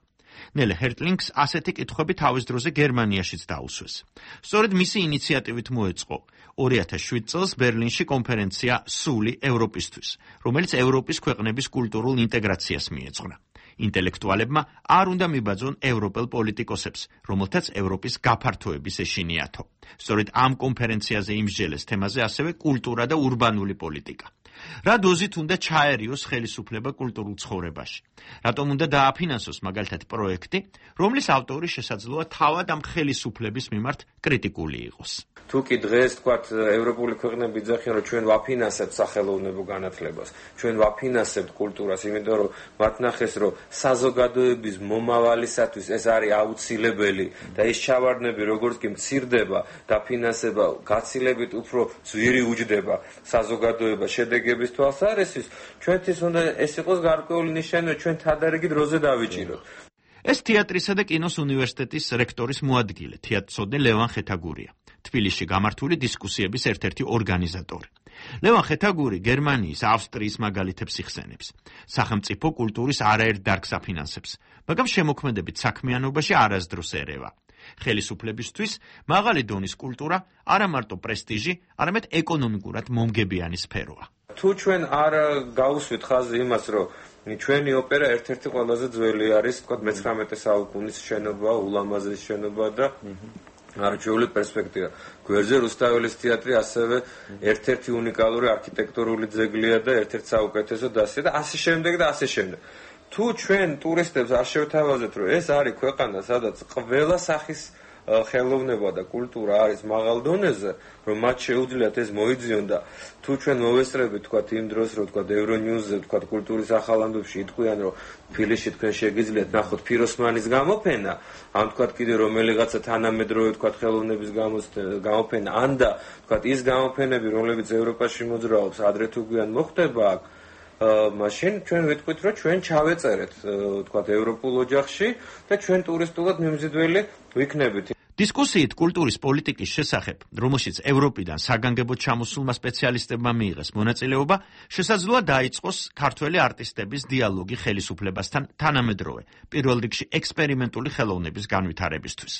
ნელე ჰერტლინგს ასეთი კითხვები თავის დროზე გერმანიაშიც დაუსვეს. სწორედ მისი ინიციატივით მოეწყო ორი ათას შვიდ წელს ბერლინში კონფერენცია „სული ევროპისთვის“, რომელიც ევროპის ქვეყნების კულტურულ ინტეგრაციას მიეძღვნა. ინტელექტუალებმა არ უნდა მიბაძონ ევროპელ პოლიტიკოსებს, რომელთაც ევროპის გაფართოების ეშინიათო. სწორედ ამ კონფერენციაზე იმსჯელეს თემაზე ასევე კულტურა და ურბანული პოლიტიკა. რა დოზით უნდა ჩაერიოს ხელისუფლება კულტურულ ცხოვრებაში? რატომ უნდა დააფინანსოს მაგალითად პროექტი, რომლის ავტორი შესაძლოა თავად ამ ხელისუფლების მიმართ კრიტიკული იყოს? თუ კი დღეს თქვათ ევროპული ქვეყნები ძახიან, რომ ჩვენ ვაფინანსებთ სახელოვნებო განათლებას, ჩვენ ვაფინანსებთ კულტურას, იმიტომ რომ მათ ნახეს, რომ საზოგადოების მომავალისათვის ეს არის აუცილებელი და ეს ჩავარდნები როგორც კი მცირდება, დაფინანსება გაცილებით უფრო ძვირი უჯდება საზოგადოება შედეგების თვალსაზრისით, ჩვენთვის უნდა ეს იყოს გარკვეული ნიშანი, რომ ჩვენ თადარიგით როზე დავიჭიროთ. ეს თეატრისა და კინოს უნივერსიტეტის რექტორის მოადგილე, თეატრსოდნე ლევან ხეთაგურია. თბილისში გამართული დისკუსიების ერთ-ერთი ორგანიზატორი. ლევან ხეთაგური გერმანიის, ავსტრიის მაგალითებს იხსენებს. სახელმწიფო კულტურის არაერთ დარგს აფინანსებს, მაგრამ შემოქმედებით საქმიანობაში არასდროს ერევა. ხელისუფლებისთვის მაღალი დონის კულტურა არა მარტო პრესტიჟი, არამედ ეკონომიკურად მომგებიანი სფეროა. თუ ჩვენ არ გაუსვით ხაზი იმას, რომ ჩვენი ოპერა ერთ-ერთი ყველაზე ძველი არის, თქვა მეცხრამეტე საუკუნის შენობა, ულამაზესი შენობა და არჩეული პერსპექტივა. გვერდზე რუსთაველის თეატრი ასევე ერთ-ერთი უნიკალური არქიტექტურული ძეგლია და ერთ-ერთი საუკეთესო დასია და ასე შემდეგ და ასე შემდეგ. თუ ჩვენ ტურისტებს არ შევთავაზებთ, რომ ეს არის ქვეყანა, სადაც ყველა სახის ხელოვნება და კულტურა არის მაღალ დონეზე, რომ მათ შეუძლიათ ეს მოიძიონ და თუ ჩვენ მოვესწრებით თქვა იმ დროს რომ თქვა ევრონიუზზე თქვა კულტურის ახალ ამბებში იტყვიან რომ თბილისში თქვენ შეგიძლიათ ნახოთ ფიროსმანის გამოფენა, ან თქვა კიდე რომელიღაცა თანამედროვე თქვა ხელოვნების გამოფენა, ან და თქვა ის გამოფენები რომლებიც ევროპაში მოძრაობს ადრე თუ გვიან მოხდება აქ, მაშინ ჩვენ ვიტყვით რომ ჩვენ ჩავეწერეთ თქვა ევროპულ ოჯახში და ჩვენ ტურისტულად მიმზიდველი ვიქნებით. დისკუსიით კულტურის პოლიტიკის შესახებ, რომელშიც ევროპიდან საგანგებოდ ჩამოსულმა სპეციალისტებმა მიიღეს მონაწილეობა, შესაძლოა დაიწყოს ქართველი არტისტების დიალოგი ხელისუფლებასთან თანამედროვე, პირველ რიგში ექსპერიმენტული ხელოვნების განვითარებისთვის.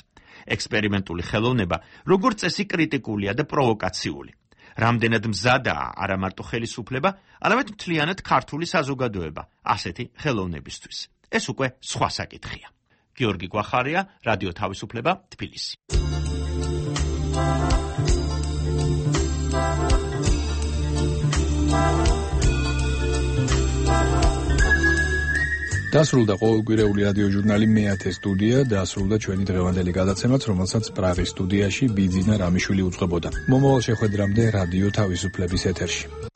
ექსპერიმენტული ხელოვნება, როგორც წესი, კრიტიკულია და პროვოკაციული. რამდენად მზადაა არა მარტო ხელისუფლება, არამედ მთლიანად ქართული საზოგადოება ასეთი ხელოვნებისთვის. ეს უკვე სხვა საკითხია. გიორგი გვახარია, რადიო თავისუფლება, თბილისი. დასრულდა ყოველკვირეული რადიო ჟურნალი მეათე სტუდია, დასრულდა ჩვენი დღევანდელი გადაცემაც, რომელსაც პრაღის სტუდიაში ბიძინა რამიშვილი უძღვებოდა. მომავალ შეხვედრამდე რადიო თავისუფლების ეთერში.